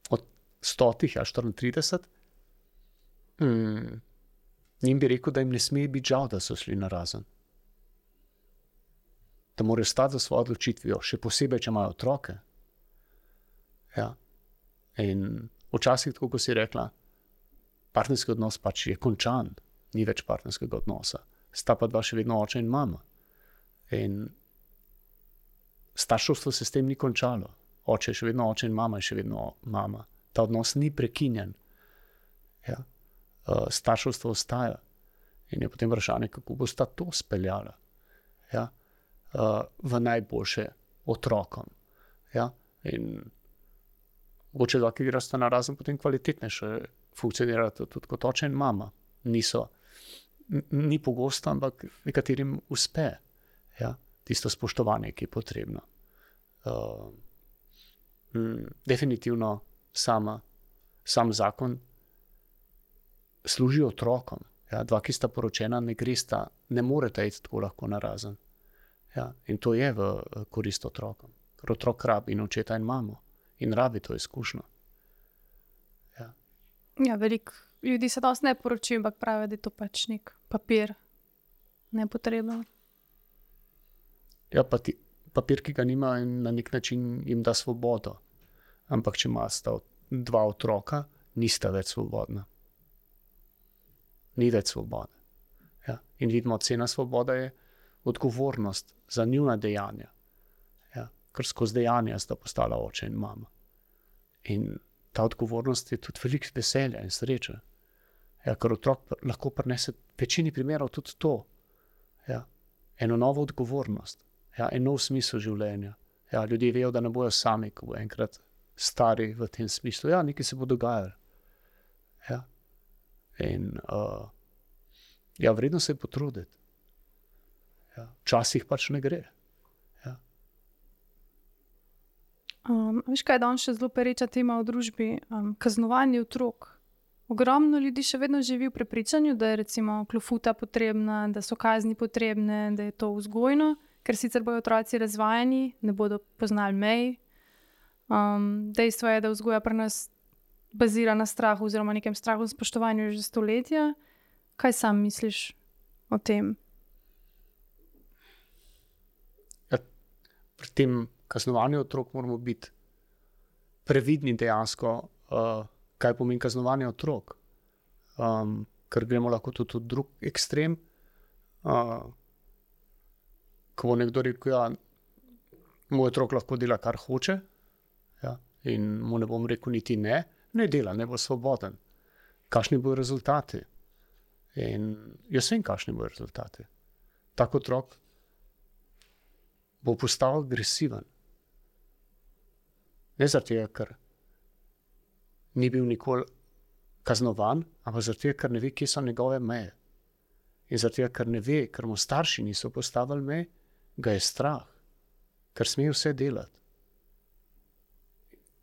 od 100, 34, Njim bi rekel, da jim ne sme biti žal, da so šli narazen. Da morajo stati za svojo odločitvijo, še posebej, če imajo otroke. Ja. In včasih, tako kot si rekla, partnerski odnos pač je končan, ni več partnerskega odnosa. Sta pa dva še vedno oče in mama. In starševstvo se s tem ni končalo. Oče je še vedno oče in mama je še vedno mama. Ta odnos ni prekinjen. Ja. Starševstvo ostaja. In je potem vprašanje, kako bosta to speljala. Ja. V najboljše otrokom. Ja. In mogoče dva, ki gresta narazen, potem kvalitetnejše funkcionirata tudi kot oče in mama. Ni pogosto, ampak nekaterim uspe. Ja. Tisto spoštovanje, ki je potrebno. Definitivno sam zakon služi otrokom. Ja. Dva, ki sta poročena, ne moreta iti tako lahko narazen. Ja. In to je v korist otrokom. Ker otrok rabi in očeta in mamo. In rabi to izkušnjo. Ja, veliko ljudi se dosti ne poroči, ampak pravi, da je to pač nek papir. Nepotrebno. Ja, pa papir, ki ga nima, na nek način jim da svobodo. Ampak če imata dva otroka, nista več svobodna. Ni več svobode. Ja. In vidimo, cena svobode je odgovornost za njuna dejanja. Ja. Ker skozi dejanja sta postala oče in mama. In ta odgovornost je tudi veliko veselja in sreče. Ja, ker otrok lahko prinese v večini primerov tudi to. Ja. Eno novo odgovornost. Ja, en nov smisel življenja. Ja, ljudje vejo, da ne bojo sami, ko bo enkrat stari v tem smislu. Ja, nekaj se bo dogajalo. Ja. In vredno se je potruditi. Ja. Včasih pač ne gre. Ja. Veš kaj, danes še zelo pereča tema v družbi? Kaznovanje otrok. Ogromno ljudi še vedno živi v prepričanju, da je recimo klofuta potrebna, da so kazni potrebne, da je to vzgojno, ker sicer bojo otroci razvajani, ne bodo poznali mej. Dejstvo je, da vzgoja pri nas bazira na strahu oziroma nekem strahu in spoštovanju že stoletja. Kaj sam misliš o tem? Ja, pri tem kaznovanju otrok moramo biti previdni dejansko, kaj pomeni kaznovanje otrok. Ker gremo lahko tudi v drug ekstrem. Ko bo nekdo rekel, ja, moj otrok lahko dela, kar hoče, ja, in mu ne bom rekel niti ne dela, ne bo svoboden. Kakšni bodo rezultati? In jaz vem, kakšni bodo rezultati. Tak otrok bo postal agresiven. Ne zaradi tega, ker ni bil nikoli kaznovan, ampak zaradi tega, ker ne ve, kje so njegove meje. In zaradi tega, ker ne ve, ker mu starši niso postavili meje, ga je strah, ker sme vse delati.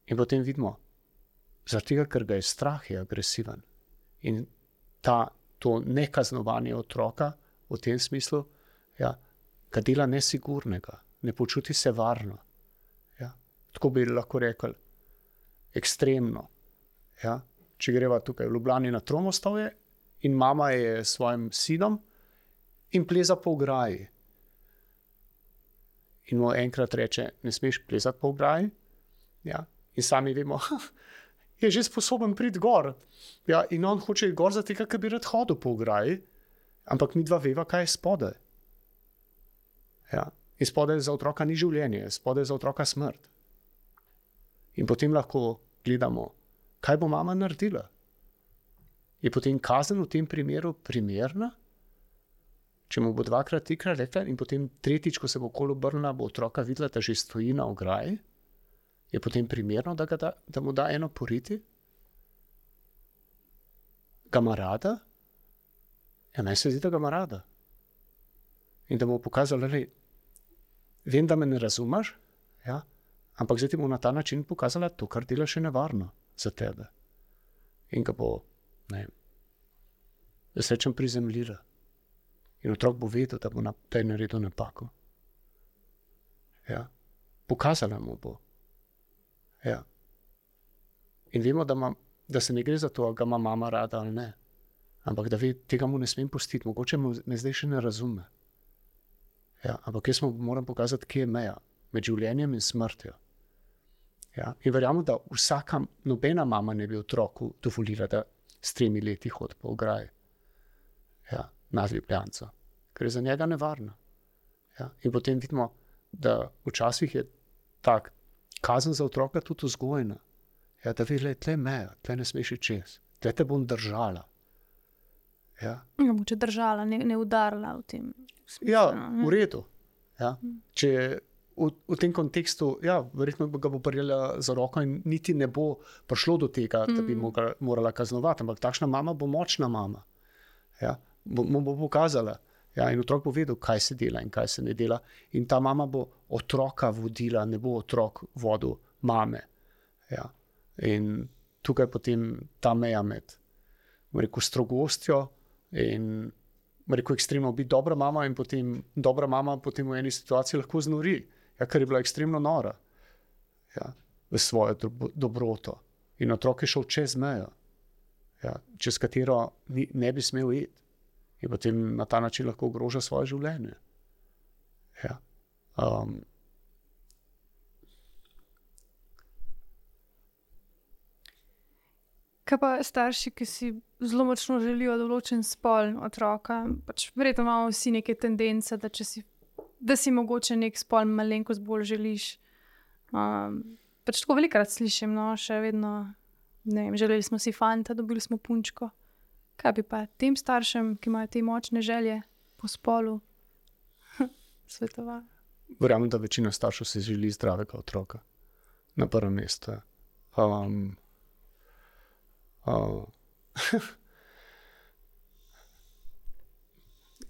In potem vidimo, zaradi tega, ker ga je strah, je agresiven. In to nekaznovanje otroka v tem smislu, ja, ga dela nesigurnega, ne počuti se varno. Ja. Tako bi lahko rekli, ekstremno. Ja. Če greva tukaj v Ljubljani na Tromostovje in mama je s svojim sinom in pleza po ograji. In mu enkrat reče, ne smeš plezati po ograji. Ja. In sami vemo, je že sposoben priti gor. Ja. In on hoče iti gor zato, ker bi rad hodil po ograji, ampak mi dva veva, kaj je spodaj. Ja. In spodaj za otroka ni življenje, spodaj za otroka smrt. In potem lahko gledamo, kaj bo mama naredila. Je potem kazen v tem primeru primerna? Če mu bo dvakrat, trikrat rekla in potem tretjič, ko se bo okoli obrnila, bo otroka videla, da že stoji na ograji, je potem primerno, da mu da eno poriti? Ga ima rada? Ja, meni se zdi, da ga ima rada. In da mu bo pokazala, vem, da me ne razumeš, ja, ampak zdaj ti bo na ta način pokazala to, kar delaš, je nevarno za tebe. In ga bo, jaz rečem, prizemljila. In otrok bo vedel, da je naredil napako. Ja. Pokazala mu bo. Ja. In vemo, da se ne gre za to, ali ga ima mama rada ali ne. ampak da ve, tega mu ne smem pustiti, mogoče me zdaj še ne razume. Ja, ampak jaz mu moram pokazati, kje je meja med življenjem in smrtjo. Ja, in verjamem, da nobena mama ne bi otroku dovolila, da s 3 leti hodi po ograji. Ja, nad Ljubljanco, ker je za njega nevarno. Ja, in potem vidimo, da včasih je tak kazen za otroka tudi vzgojna. Ja, da ve, tle je meja, tle ne smeš iti čez, tle te bom držala. Ja. Mogoče držala, ne udarila v tem smislu. Ja, v redu. Ja. Če v tem kontekstu, ja, verjetno ga bo prijela za roko in niti ne bo prišlo do tega, da bi morala kaznovati, ampak takšna mama bo močna mama. Ja. Mu bo pokazala. Ja, in otrok bo vedel, kaj se dela in kaj se ne dela. In ta mama bo otroka vodila, ne bo otrok vodil mame. Ja. In tukaj potem ta meja med strogostjo in ekstremno biti dobra mama in potem dobra mama potem v eni situaciji lahko znori, ja, ker je bila ekstremno nora, ja, v svojo dobroto. In otrok je šel čez mejo, ja, čez katero ne bi smel iti. In potem na ta način lahko ogroža svoje življenje. Ja. Kaj pa starši, ki si zelo močno želijo določen spol otroka? Pač verjetno imamo vsi neke tendence, da si mogoče nek spol malenkost bolj želiš. Pač tako velikokrat slišim, no, še vedno, ne vem, želeli smo si fanta, dobili smo punčko. Kaj bi pa tem staršem, ki imajo te močne želje po spolu, svetovala? Verjamem, da večina staršev si želi zdravega otroka. Na prvem mestu.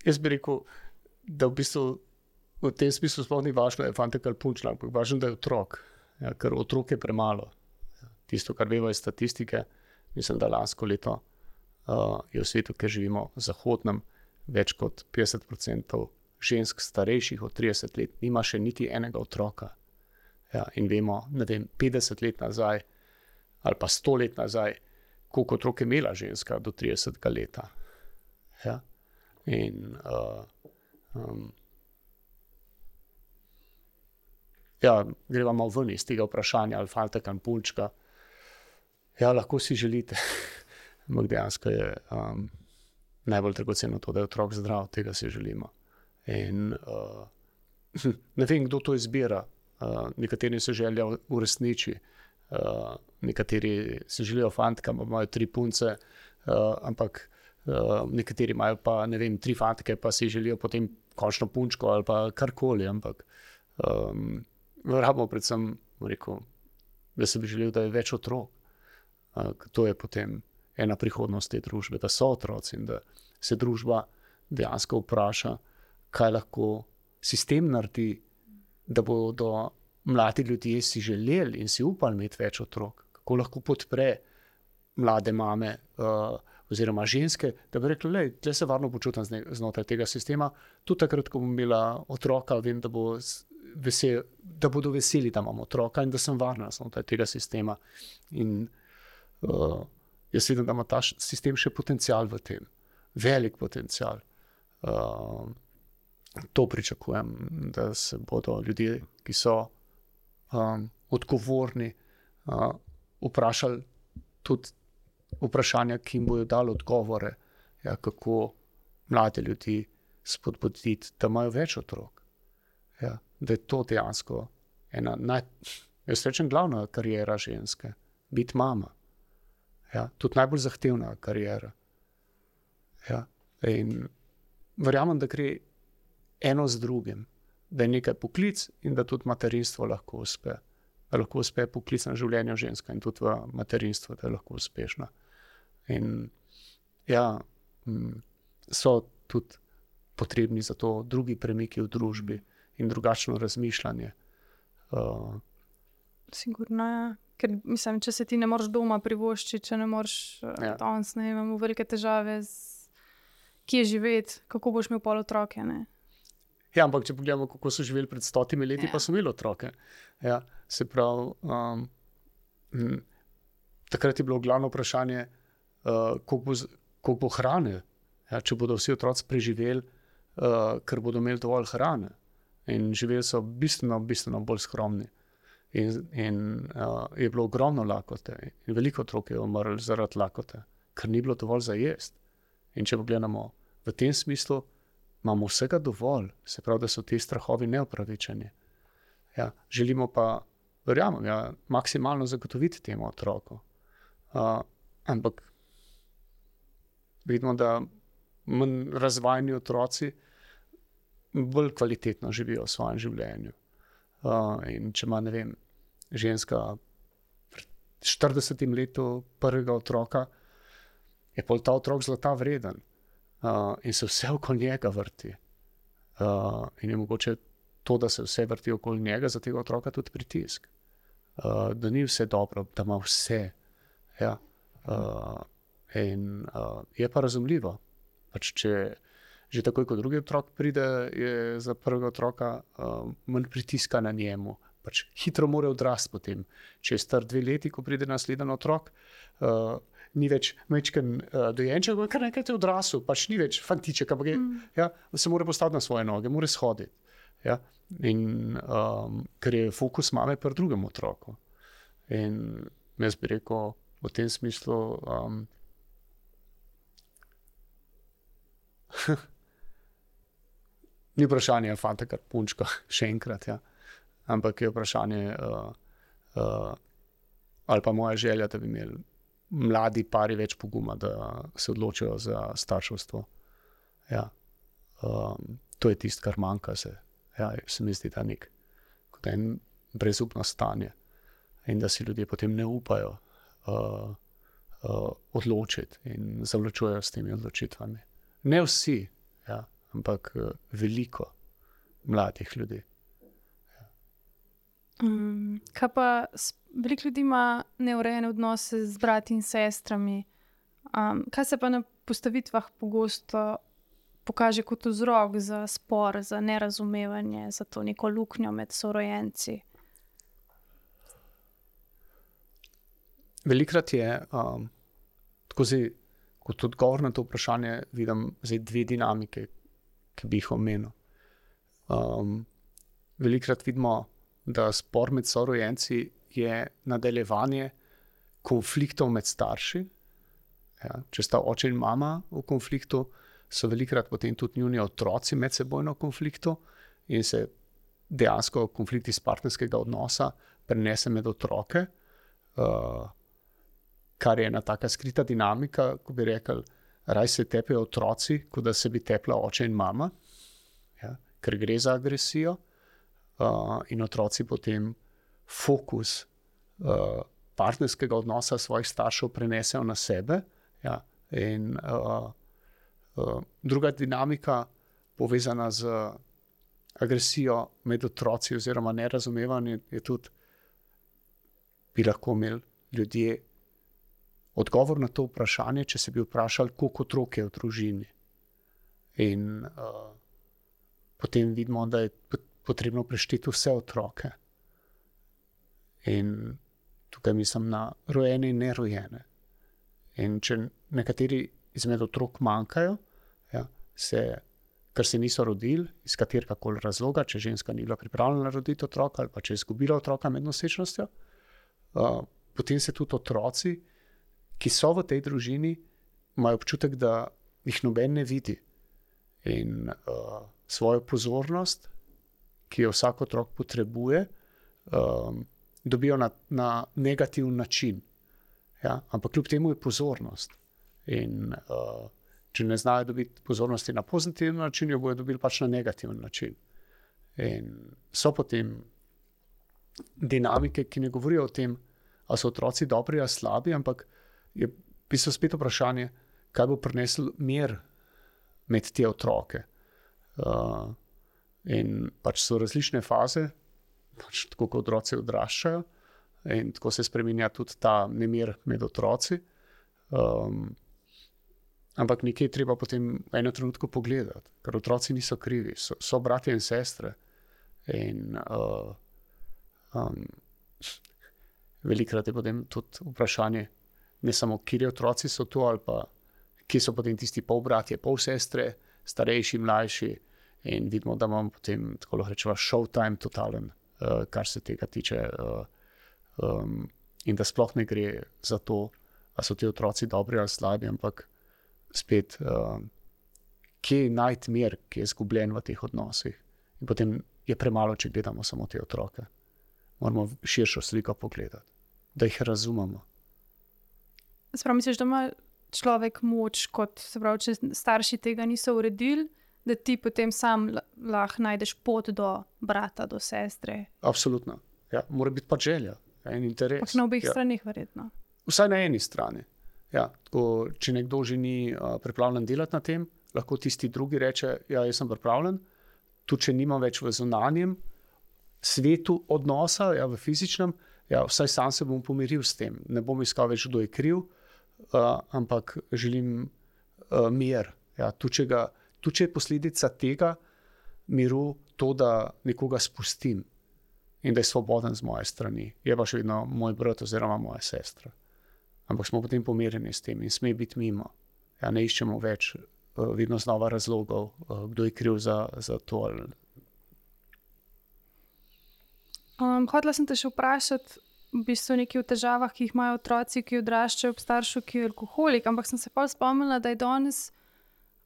Jaz bi rekel, da v bistvu v tem smislu sploh ni važno, da je fantek ali punčka, ampak važno, da je otrok. Ja, ker otrok je premalo. Tisto, kar veva iz statistike, mislim, da lansko leto je v svetu, kjer živimo, zahodnem, več kot 50% žensk starejših od 30 let nima še niti enega otroka. Ja, in vemo, ne vem, 50 let nazaj ali pa 100 let nazaj, koliko otrok je imela ženska do 30 leta. Ja. In greva malo ven iz tega vprašanja, ali fantek ali punčka. Ja, lahko si želite. Ampak dejansko je najbolj dragoceno to, da je otrok zdrav, tega si želimo. In ne vem, kdo to izbira. Nekateri se želijo uresniči, nekateri se želijo fantka, imajo 3 punce, ampak nekateri imajo pa, ne vem, 3 fantke, pa si želijo potem končno punčko ali pa karkoli, ampak rabimo predvsem, rekel, da se bi želel, da je več otrok. To je potem ena prihodnost te družbe, da so otroci in da se družba dejansko vpraša, kaj lahko sistem naredi, da bodo mladi ljudje si želeli in si upali imeti več otrok, kako lahko podpre mlade mame oziroma ženske, da bi rekli, lej, tle se varno počutim znotraj tega sistema, tudi takrat, ko bom imela otroka, vem, da bodo veseli, da imam otroka in da sem varna znotraj tega sistema. In jaz vidim, da ima ta sistem še potencial v tem. Velik potencial. To pričakujem, da se bodo ljudje, ki so odgovorni, vprašali tudi vprašanja, ki jim bodo dali odgovore, ja, kako mlade ljudi spodbuditi, da imajo več otrok. Ja, da je to dejansko ena jaz rečem, glavna kariera ženske. Biti mama. Ja, tudi najbolj zahtevna kariera. Ja, in verjamem, da gre eno z drugim, da je nekaj poklic in da tudi materinstvo lahko uspe. Da lahko uspe poklicno življenje ženska in tudi v materinstvu, da je lahko uspešna. In ja, so tudi potrebni za to drugi premiki v družbi in drugačno razmišljanje. Sigurno, ja. Ker mislim, če se ti ne moreš doma privoščiti, če ne moreš danes, ne imamo velike težave kje živeti, kako boš imel pol otroke, ne? Ja, ampak če pogledamo, kako so živeli pred 100 leti, pa so imeli otroke. Ja, se pravi, takrat je bilo glavno vprašanje, koliko bo hrane, ja, če bodo vsi otroci preživeli, ker bodo imeli dovolj hrane. In živeli so bistveno bolj skromni. In je bilo ogromno lakote. In veliko otrok je umrlo zaradi lakote, ker ni bilo dovolj za jesti. In če pogledamo v tem smislu, imamo vsega dovolj, se pravi, da so ti strahovi neopravičeni. Ja, želimo pa, verjamem, ja, maksimalno zagotoviti temu otroku. Ampak vidimo, da manj razvajeni otroci bolj kvalitetno živijo v svojem življenju. In če ima, ne vem, ženska pred 40 letu prvega otroka, je pol ta otrok zlata vreden. In se vse okoli njega vrti. In je mogoče to, da se vse vrti okoli njega, za tega otroka tudi pritisk. Da ni vse dobro, da ima vse. Ja. Je pa razumljivo. Pač če že takoj, ko drugi otrok pride, je za prvega otroka manj pritiska na njemu. Pač hitro mora odrasti potem. Če je star 2 leti, ko pride naslednji otrok, ni več majčken dojenček, kar nekaj je odrasel, pač ni več fantiček, ampak ja, se mora postaviti na svoje noge, mora shoditi. Ja? In ker je fokus mame pri drugem otroku. In jaz bi rekel v tem smislu, ni vprašanje fanta kar punčka, še enkrat, ja. Ampak je vprašanje ali pa moja želja, da bi imeli mladi pari več poguma, da se odločijo za starševstvo. Ja. To je tisto, kar manjka se. Ja, se mi zdi, da kot en brezupno stanje. In da si ljudje potem ne upajo odločiti in zavlačujejo s temi odločitvami. Ne vsi, ja, ampak veliko mladih ljudi. Kaj pa veliko ljudi ima neurejene odnose z brati in sestrami? Kaj se pa na postavitvah pogosto pokaže kot vzrok za spor, za nerazumevanje, za to neko luknjo med sorojenci? Velikrat je, kot odgovor na to vprašanje, vidim zdaj 2 dinamike, ki bi jih omenil. Velikrat vidimo, da spor med sorojenci je nadaljevanje konfliktov med starši. Ja, če sta oče in mama v konfliktu, so velikrat potem tudi njuni otroci medsebojno v konfliktu in se dejansko konflikt iz partnerskega odnosa prenese med otroke, kar je ena taka skrita dinamika, ko bi rekli, raj se tepejo otroci, kot da se bi tepla oče in mama, ja, ker gre za agresijo. In otroci potem fokus partnerskega odnosa svojih staršev prenesejo na sebe. Ja. In druga dinamika, povezana z agresijo med otroci oziroma nerazumevanje, je tudi, bi lahko imeli ljudje odgovor na to vprašanje, če se bi vprašali, koliko otrok je v družini. In potem vidimo, da je potrebno prešteti vse otroke. In tukaj mislim na rojene in nerojene. In če nekateri izmed otrok manjkajo, ja, ker se niso rodili, iz kateregakoli razloga, če ženska ni bila pripravljena roditi otroka ali pa če je izgubila otroka med nosečnostjo, potem se tudi otroci, ki so v tej družini, imajo občutek, da jih noben ne vidi. In svojo pozornost, ki jo vsak otrok potrebuje, dobijo na negativen način. Ja? Ampak kljub temu je pozornost. In če ne znajo dobiti pozornosti na pozitiven način, jo bojo dobili pač na negativen način. In so potem dinamike, ki ne govorijo o tem, ali so otroci dobri ali slabi, ampak je v bistvu spet vprašanje, kaj bo prineslo mir med te otroke. In pač so različne faze, pač tako kot otroci odraščajo, in tako se spreminja tudi ta nemir med otroci. Ampak nekje je treba potem v enem trenutku pogledati, ker otroci niso krivi, so bratje in sestre. In velikrat je potem tudi vprašanje, ne samo, kateri otroci so to, ali pa kje so potem tisti polbratje, polsestre, starejši, mlajši, in vidimo, da imamo potem, tako lahko rečemo, showtime totalen, kar se tega tiče. In da sploh ne gre za to, da so ti otroci dobri ali slabi, ampak spet, kje najti mir, ki je izgubljen v teh odnosih. In potem je premalo, če gledamo samo te otroke. Moramo širšo sliko pogledati, da jih razumemo. Sprav misliš, da ima človek moč, kot se pravi, če starši tega niso uredili, da ti potem sam lahko najdeš pot do brata, do sestre? Absolutno. Ja, mora biti pa želja in interes. Pa na obeh stranih verjetno. Vsaj na eni strani. Ja, tako, če nekdo že ni pripravljen delati na tem, lahko tisti drugi reče, ja, jaz sem pripravljen, tudi če nimam več v zunanjem svetu odnosa, ja, v fizičnem, ja, vsaj sam se bom pomiril s tem. Ne bom iskal več, kdo je kriv, ampak želim mir. Ja, tudi če je posledica tega miru to, da nekoga spustim in da je svoboden z moje strani. Je pa še vedno moj brat oziroma moja sestra. Ampak smo potem pomirjeni s tem in sme biti mimo. Ja, ne iščemo več vedno znova razlogov, kdo je kriv za to. Hotela sem te še vprašati, v bistvu nekaj o težavah, ki jih imajo otroci, ki odraščajo ob staršu, ki je alkoholik, ampak sem se pa spomnila, da je danes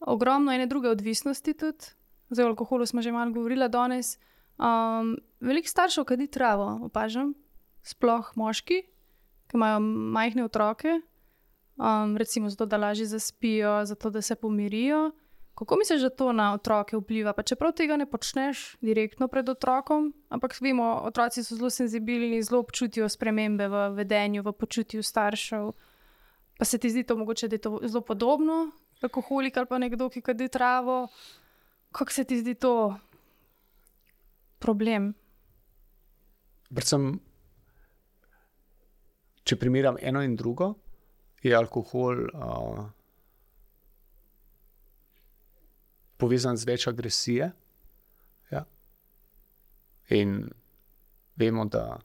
ogromno ene druge odvisnosti tudi. Zdaj o alkoholu smo že malo govorila danes. Veliko staršev kadi travo, opažam, sploh moški, ki imajo majhne otroke, recimo zato, da lažje zaspijo, zato, da se pomirijo. Kako misliš, da to na otroke vpliva? Pa čeprav tega ne počneš direktno pred otrokom, ampak vemo, otroci so zelo senzibilni, zelo občutijo spremembe v vedenju, v počutju staršev. Pa se ti zdi to mogoče, da je to zelo podobno, alkoholik ali pa nekdo, ki kadi travo? Kako se ti zdi to problem? Predvsem, če primerjam eno in drugo, je alkohol povezan z več agresije. Ja. In vemo, da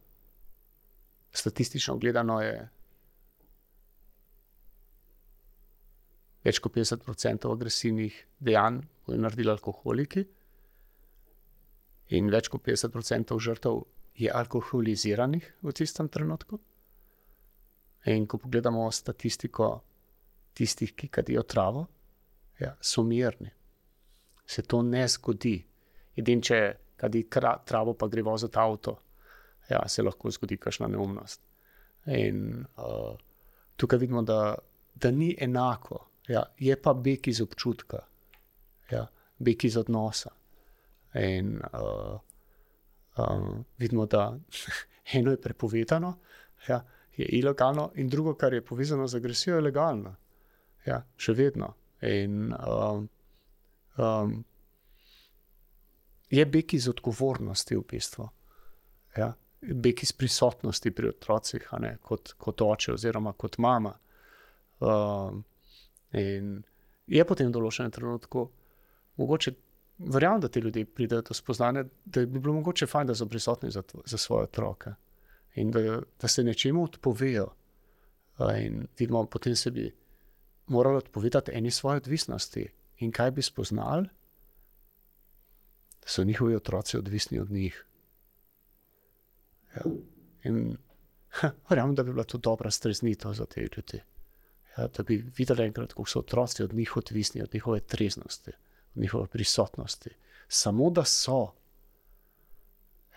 statistično gledano je več kot 50% agresivnih dejanj bodo naredili alkoholiki in več kot 50% žrtev je alkoholiziranih v tistem trenutku. In ko pogledamo statistiko tistih, ki kadijo travo, ja, so mirni. Se to ne zgodi. Edino, če kadi travo pa gre voziti avto, ja, se lahko zgodi kakšna neumnost. In tukaj vidimo, da ni enako. Ja, je pa beg iz občutka, ja, beg iz odnosa. In vidimo, da eno je prepovedano, ja, je ilegalno, in drugo, kar je povezano z agresijo, je legalno. Ja, še vedno. In je beg iz odgovornosti v bistvu. Ja, beg iz prisotnosti pri otrocih, a ne, kot oče oziroma kot mama. In je potem v določenem trenutku mogoče, verjamem, da ti ljudje pridejo do spoznanja, da bi bilo mogoče fajn, da so prisotni za svoje otroke in da se nečemu odpovejo. In vidimo, potem se bi morali odpovedati eni svoje odvisnosti. In kaj bi spoznali? Da so njihovi otroci odvisni od njih. Ja. In verjamem, da bi bila to dobra streznitev za te ljudi. Ja, da bi videli enkrat, kako so otroci od njih odvisni, od njihove treznosti, od njihove prisotnosti. Samo da so.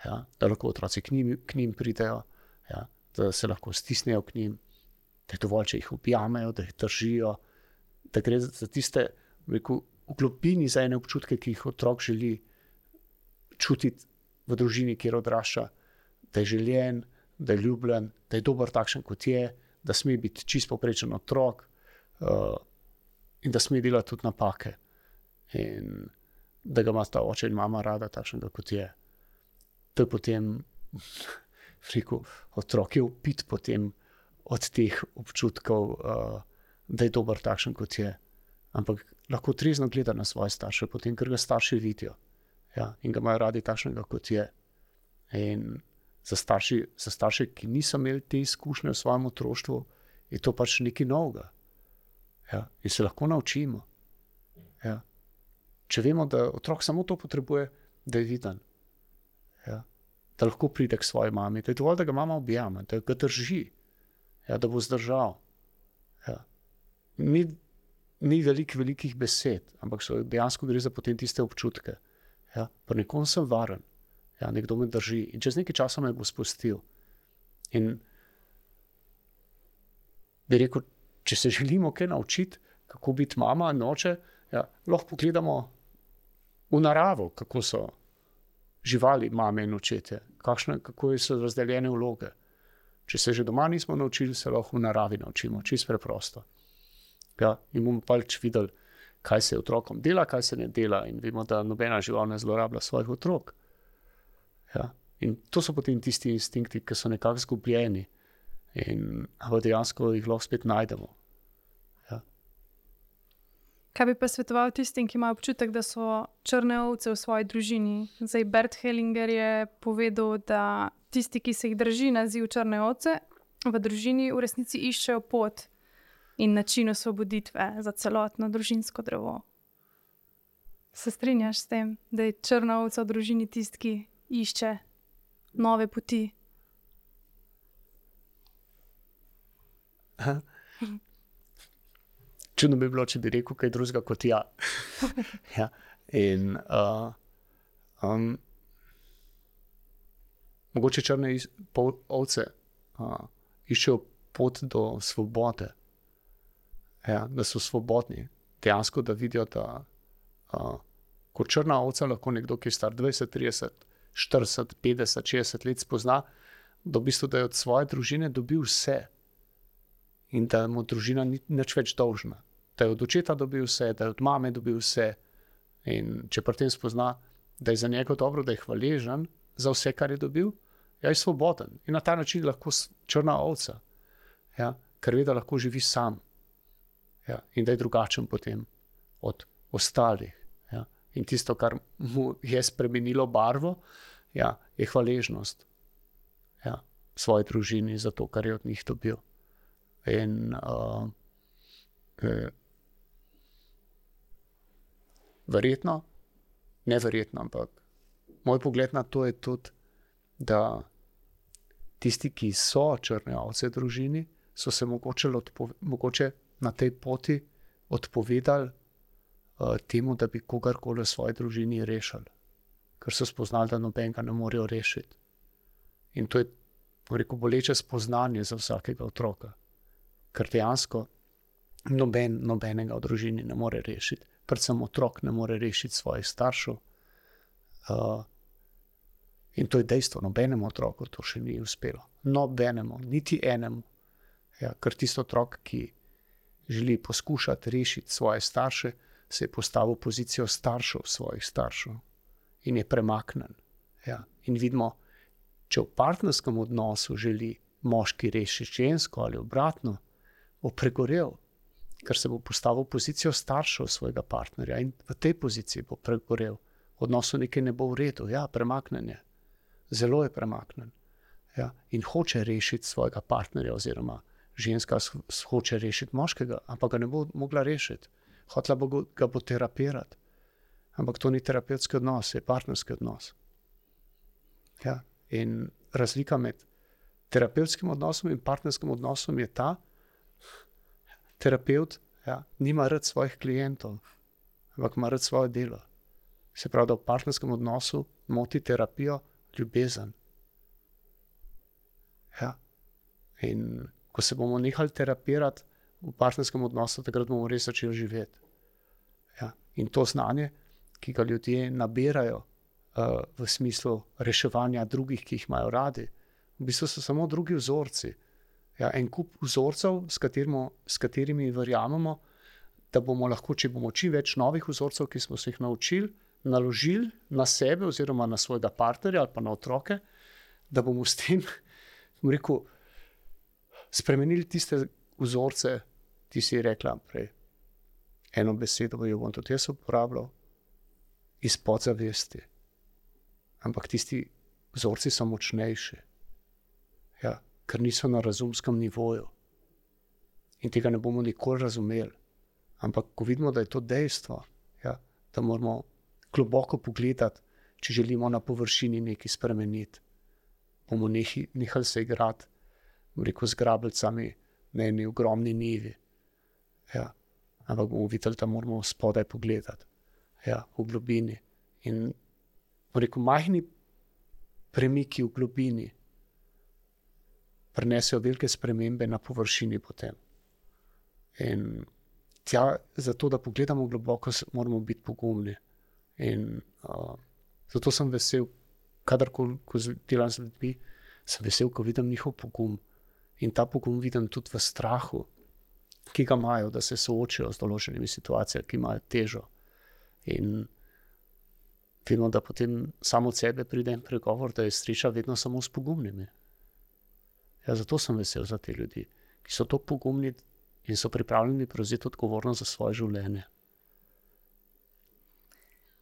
Ja, da lahko otroci k njim pridejo, ja, da se lahko stisnejo k njim, da je dovolj, če jih objamejo, da jih držijo, da gre za tiste, rekel, v globini za ene občutke, ki jih otrok želi čutiti v družini, kjer odrašča, da je željen, da je ljubljen, da je dober takšen, kot je, da sme biti čist povprečen otrok in da sme delati tudi napake in da ga ima ta oče in mama rada takšnega, kot je. To je potem, rekel, otrok je upit potem od teh občutkov, da je dober takšen, kot je. Ampak lahko trezno gleda na svoje starše, potem, ker ga starši vidijo. Ja, in ga imajo radi takšnega, kot je. In za starše, ki niso imeli te izkušnje v svojem otroštvu, je to pač nekaj novega. Ja, in se lahko naučimo. Ja. Če vemo, da otrok samo to potrebuje, da je viden. Ja. Da lahko pride k svoji mami, da je dovolj, da ga mama objame, da ga drži, ja, da bo zdržal. Ja. Ni velikih besed, ampak dejansko gre za potem tiste občutke. Ja. Pa nekom sem varen, ja, nekdo me drži in čez nekaj časa me bo spustil. In bi rekel, če se želimo kaj naučiti, kako biti mama in oče, ja, lahko pogledamo v naravo, kako so živali mame in očete, kako so razdeljene vloge. Če se že doma nismo naučili, se lahko v naravi naučimo, čisto preprosto. Ja, in bomo pač videli, kaj se otrokom dela, kaj se ne dela in vemo, da nobena žival ne zlorablja svojih otrok. Ja. In to so potem tisti instinkti, ki so nekako zgubljeni in dejansko jih lahko spet najdemo. Ja. Kaj bi pa svetoval tistim, ki imajo občutek, da so črne ovce v svoji družini? Zdaj, Bert Hellinger je povedal, da tisti, ki se jih drži naziv črne ovce, v družini v resnici iščejo pot in način osvoboditve za celotno družinsko drevo. Se strinjaš s tem, da je črna ovca v družini tisti, ki išče nove poti? Čudno bi bilo, če bi rekel kaj drugega kot ja. Ja. In mogoče črne ovce iščejo pot do svobode. Ja, da so svobodni. Dejansko, da vidijo, da kot črna ovca lahko nekdo, ki je star 20, 30, 40, 50, 60 let spozna, da v bistvu, da je od svoje družine dobil vse. In da mu družina ni nič več dolžna. Da je od očeta dobil vse, da je od mame dobil vse. In če pri tem spozna, da je za njega dobro, da je hvaležen za vse, kar je dobil, je svoboden. In na ta način lahko črna ovca, ja, ker ve, da lahko živi sam. Ja, in da je drugačen potem od ostalih. Ja. In tisto, kar mu je spremenilo barvo, ja, je hvaležnost, ja, svoji družini za to, kar je od njih dobil. In neverjetno, ampak moj pogled na to je tudi, da tisti, ki so črne ovce v družini, so se mogoče na tej poti odpovedali temu, da bi kogarkoli v svoji družini rešili. Ker so spoznali, da nobenega ne morejo rešiti. In to je, boleče spoznanje za vsakega otroka. Ker dejansko nobenega v družini ne more rešiti. Predvsem otrok ne more rešiti svojih staršev. In to je dejstvo, nobenemu otroku to še ni uspelo. Nobenemu, niti enemu. Ja, ker tisto otrok, ki želi poskušati rešiti svoje starše, se je postavil v pozicijo staršev svojih staršev in je premaknen. Ja. In vidimo, če v partnerskem odnosu želi moški rešiti žensko ali obratno, bo pregorel, ker se bo postavil v pozicijo staršev svojega partnerja in v tej poziciji bo pregorel. V odnosu nekaj ne bo v redu, ja, premaknen je. Zelo je premaknen. Ja. In hoče rešiti svojega partnerja oziroma ženska hoče rešiti moškega, ampak ga ne bo mogla rešiti. Hotela ga bo terapirati. Ampak to ni terapevtski odnos, je partnerski odnos. Ja. In razlika med terapevtskim odnosom in partnerskim odnosom je ta, terapevt, ja, nima rad svojih klientov, ampak ima rad svoje delo. Se pravi, da v partnerskem odnosu moti terapijo ljubezen. Ja. In ko se bomo nehali terapirati v partnerskem odnosu, takrat bomo res začeli živeti. Ja. In to znanje, ki ga ljudje nabirajo v smislu reševanja drugih, ki jih imajo radi, v bistvu so samo drugi vzorci. Ja, en kup vzorcev, s katerimi verjamemo, da bomo lahko, če bomo čim več novih vzorcev, ki smo se jih naučili, naložili na sebe oziroma na svojega partnerja ali pa na otroke, da bomo s tem, spremenili tiste vzorce, ti si rekla prej, eno besedo jo bom tudi jaz uporabljal, iz podzavesti. Ampak tisti vzorci so močnejši, ja, ker niso na razumskem nivoju. In tega ne bomo nikoli razumeli, Ampak ko vidimo, da je to dejstvo, ja, da moramo globoko pogledati, če želimo na površini nekaj spremeniti, bomo nehali se igrati, z grabljicami na eni ogromni nivi. Ja. Ampak bomo videli, da moramo spodaj pogledati, ja, v globini. In majhni premiki v globini prinesejo velike spremembe na površini potem. In zato, da pogledamo globoko, moramo biti pogumni. In zato sem vesel, kadarkoli, ko delam z ljudmi, sem vesel, ko vidim njihov pogum. In ta pogum vidim tudi v strahu, ki ga imajo, da se soočijo z določenimi situacijami, ki imajo težo. In vidimo, da potem samo od sebe pride en pregovor, da je sreča vedno samo s pogumnimi. Ja, zato sem vesel za te ljudi, ki so tako pogumni in so pripravljeni prevzeti odgovornost za svoje življenje.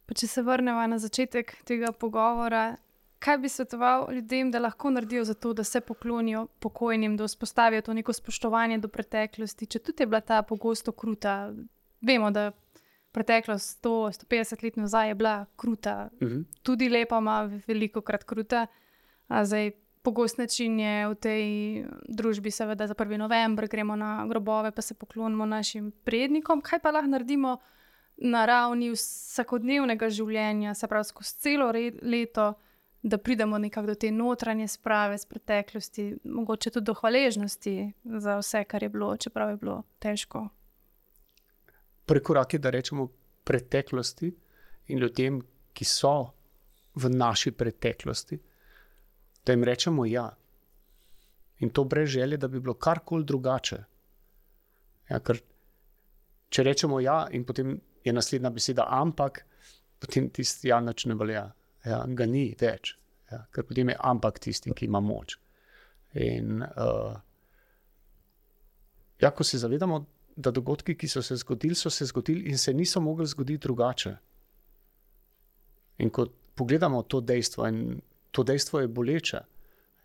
Pa če se vrnemo na začetek tega pogovora, kaj bi svetoval ljudem, da lahko naredijo za to, da se poklonijo pokojnim, da vzpostavijo to neko spoštovanje do preteklosti, če tudi je bila ta pogosto kruta. Vemo, da preteklost 100-150 let nazaj je bila kruta, tudi lepa, ima velikokrat kruta. Zdaj, pogost način je v tej družbi, seveda za 1. november gremo na grobove, pa se poklonimo našim prednikom. Kaj pa lahko naredimo na ravni vsakodnevnega življenja, se pravi skozi celo leto, da pridemo nekako do te notranje sprave z preteklosti, mogoče tudi do hvaležnosti za vse, kar je bilo, čeprav je bilo težko. Prvi korak je, da rečemo preteklosti in ljudem, ki so v naši preteklosti, da jim rečemo ja. In to brez želje, da bi bilo karkoli drugače. Ja, ker če rečemo ja in potem je naslednja beseda ampak, potem tisti ja nič ne velja. Ja, ga ni več. Ja, ker potem je ampak tisti, ki ima moč. In ko se zavedamo, da dogodki, ki so se zgodili in se niso mogli zgoditi drugače. In ko pogledamo to dejstvo in to dejstvo je boleče,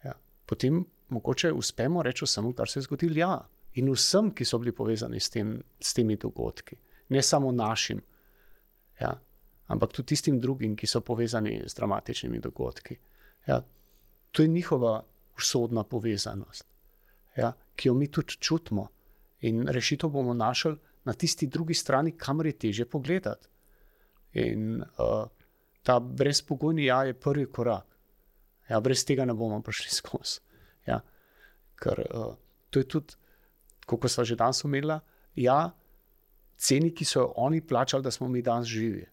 ja, potem mogoče uspemo reči vsemu, kar se je zgodilo, ja. In vsem, ki so bili povezani s temi dogodki. Ne samo našim, ja, ampak tudi tistim drugim, ki so povezani z dramatičnimi dogodki. Ja, to je njihova usodna povezanost, ja, ki jo mi tudi čutimo. In rešitev bomo našli na tisti drugi strani, kamor je težje pogledati. In ta brezpogojni ja je prvi korak. Ja, brez tega ne bomo prišli skozi. Ja, ker to je tudi, kako sva že danes omenila, ja, ceni, ki so oni plačali, da smo mi danes živi.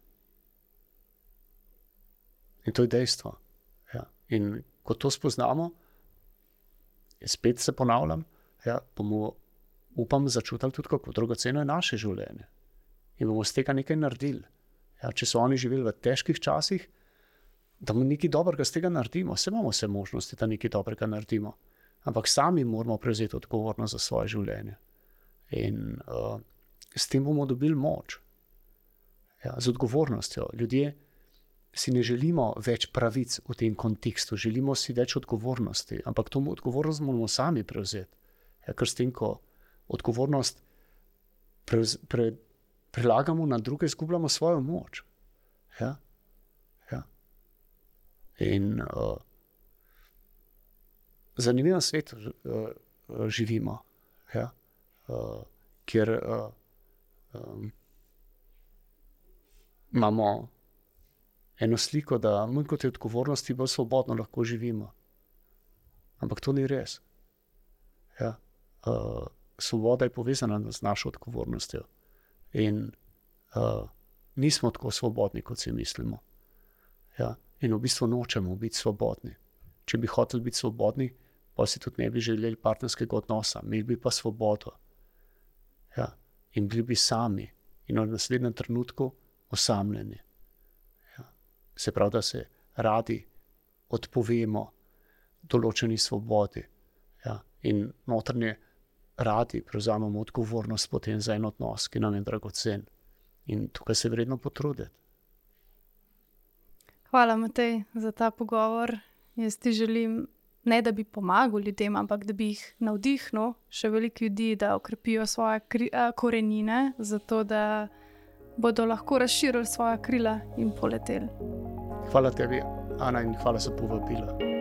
In to je dejstvo. Ja. In ko to spoznamo, spet se ponavljam, ja, bomo, upam, začutili tudi, kako dragoceno je naše življenje. In bomo z tega nekaj naredili. Ja, če so oni živeli v težkih časih, da bomo nekaj dobrega z tega naredimo. Saj imamo vse možnosti, da nekaj dobrega naredimo. Ampak sami moramo prevzeti odgovornost za svoje življenje. In s tem bomo dobili moč. Ja, z odgovornostjo. Ljudje si ne želimo več pravic v tem kontekstu, želimo si več odgovornosti. Ampak to odgovornost moramo sami prevzeti. Ja, ker s tem, ko odgovornost prelagamo na druge, izgubljamo svojo moč. Ja? Ja. In zanimivem svetu živimo, ja? Kjer imamo eno sliko, da manj kot je odgovornosti, bolj svobodno lahko živimo. Ampak to ni res. Ja? Svoboda je povezana z našo odgovornostjo. In nismo tako svobodni, kot si mislimo. Ja? In v bistvu nočemo biti svobodni. Če bi hoteli biti svobodni, pa si tudi ne bi želeli partnerskega odnosa. Imeli bi pa svobodo. Ja? In bili bi sami. In v naslednjem trenutku osamljeni. Ja? Se pravi, da se radi odpovemo določeni svobodi. Ja? In notranje radi prevzamemo odgovornost potem za en odnos, ki nam je dragocen. In tukaj se vredno potruditi. Hvala, Matej, za ta pogovor. Jaz ti želim ne da bi pomagal ljudem, ampak da bi jih navdihnil še veliko ljudi, da okrepijo svoje korenine, zato da bodo lahko razširili svoja krila in poleteli. Hvala tebi, Ana, in hvala za povabilo.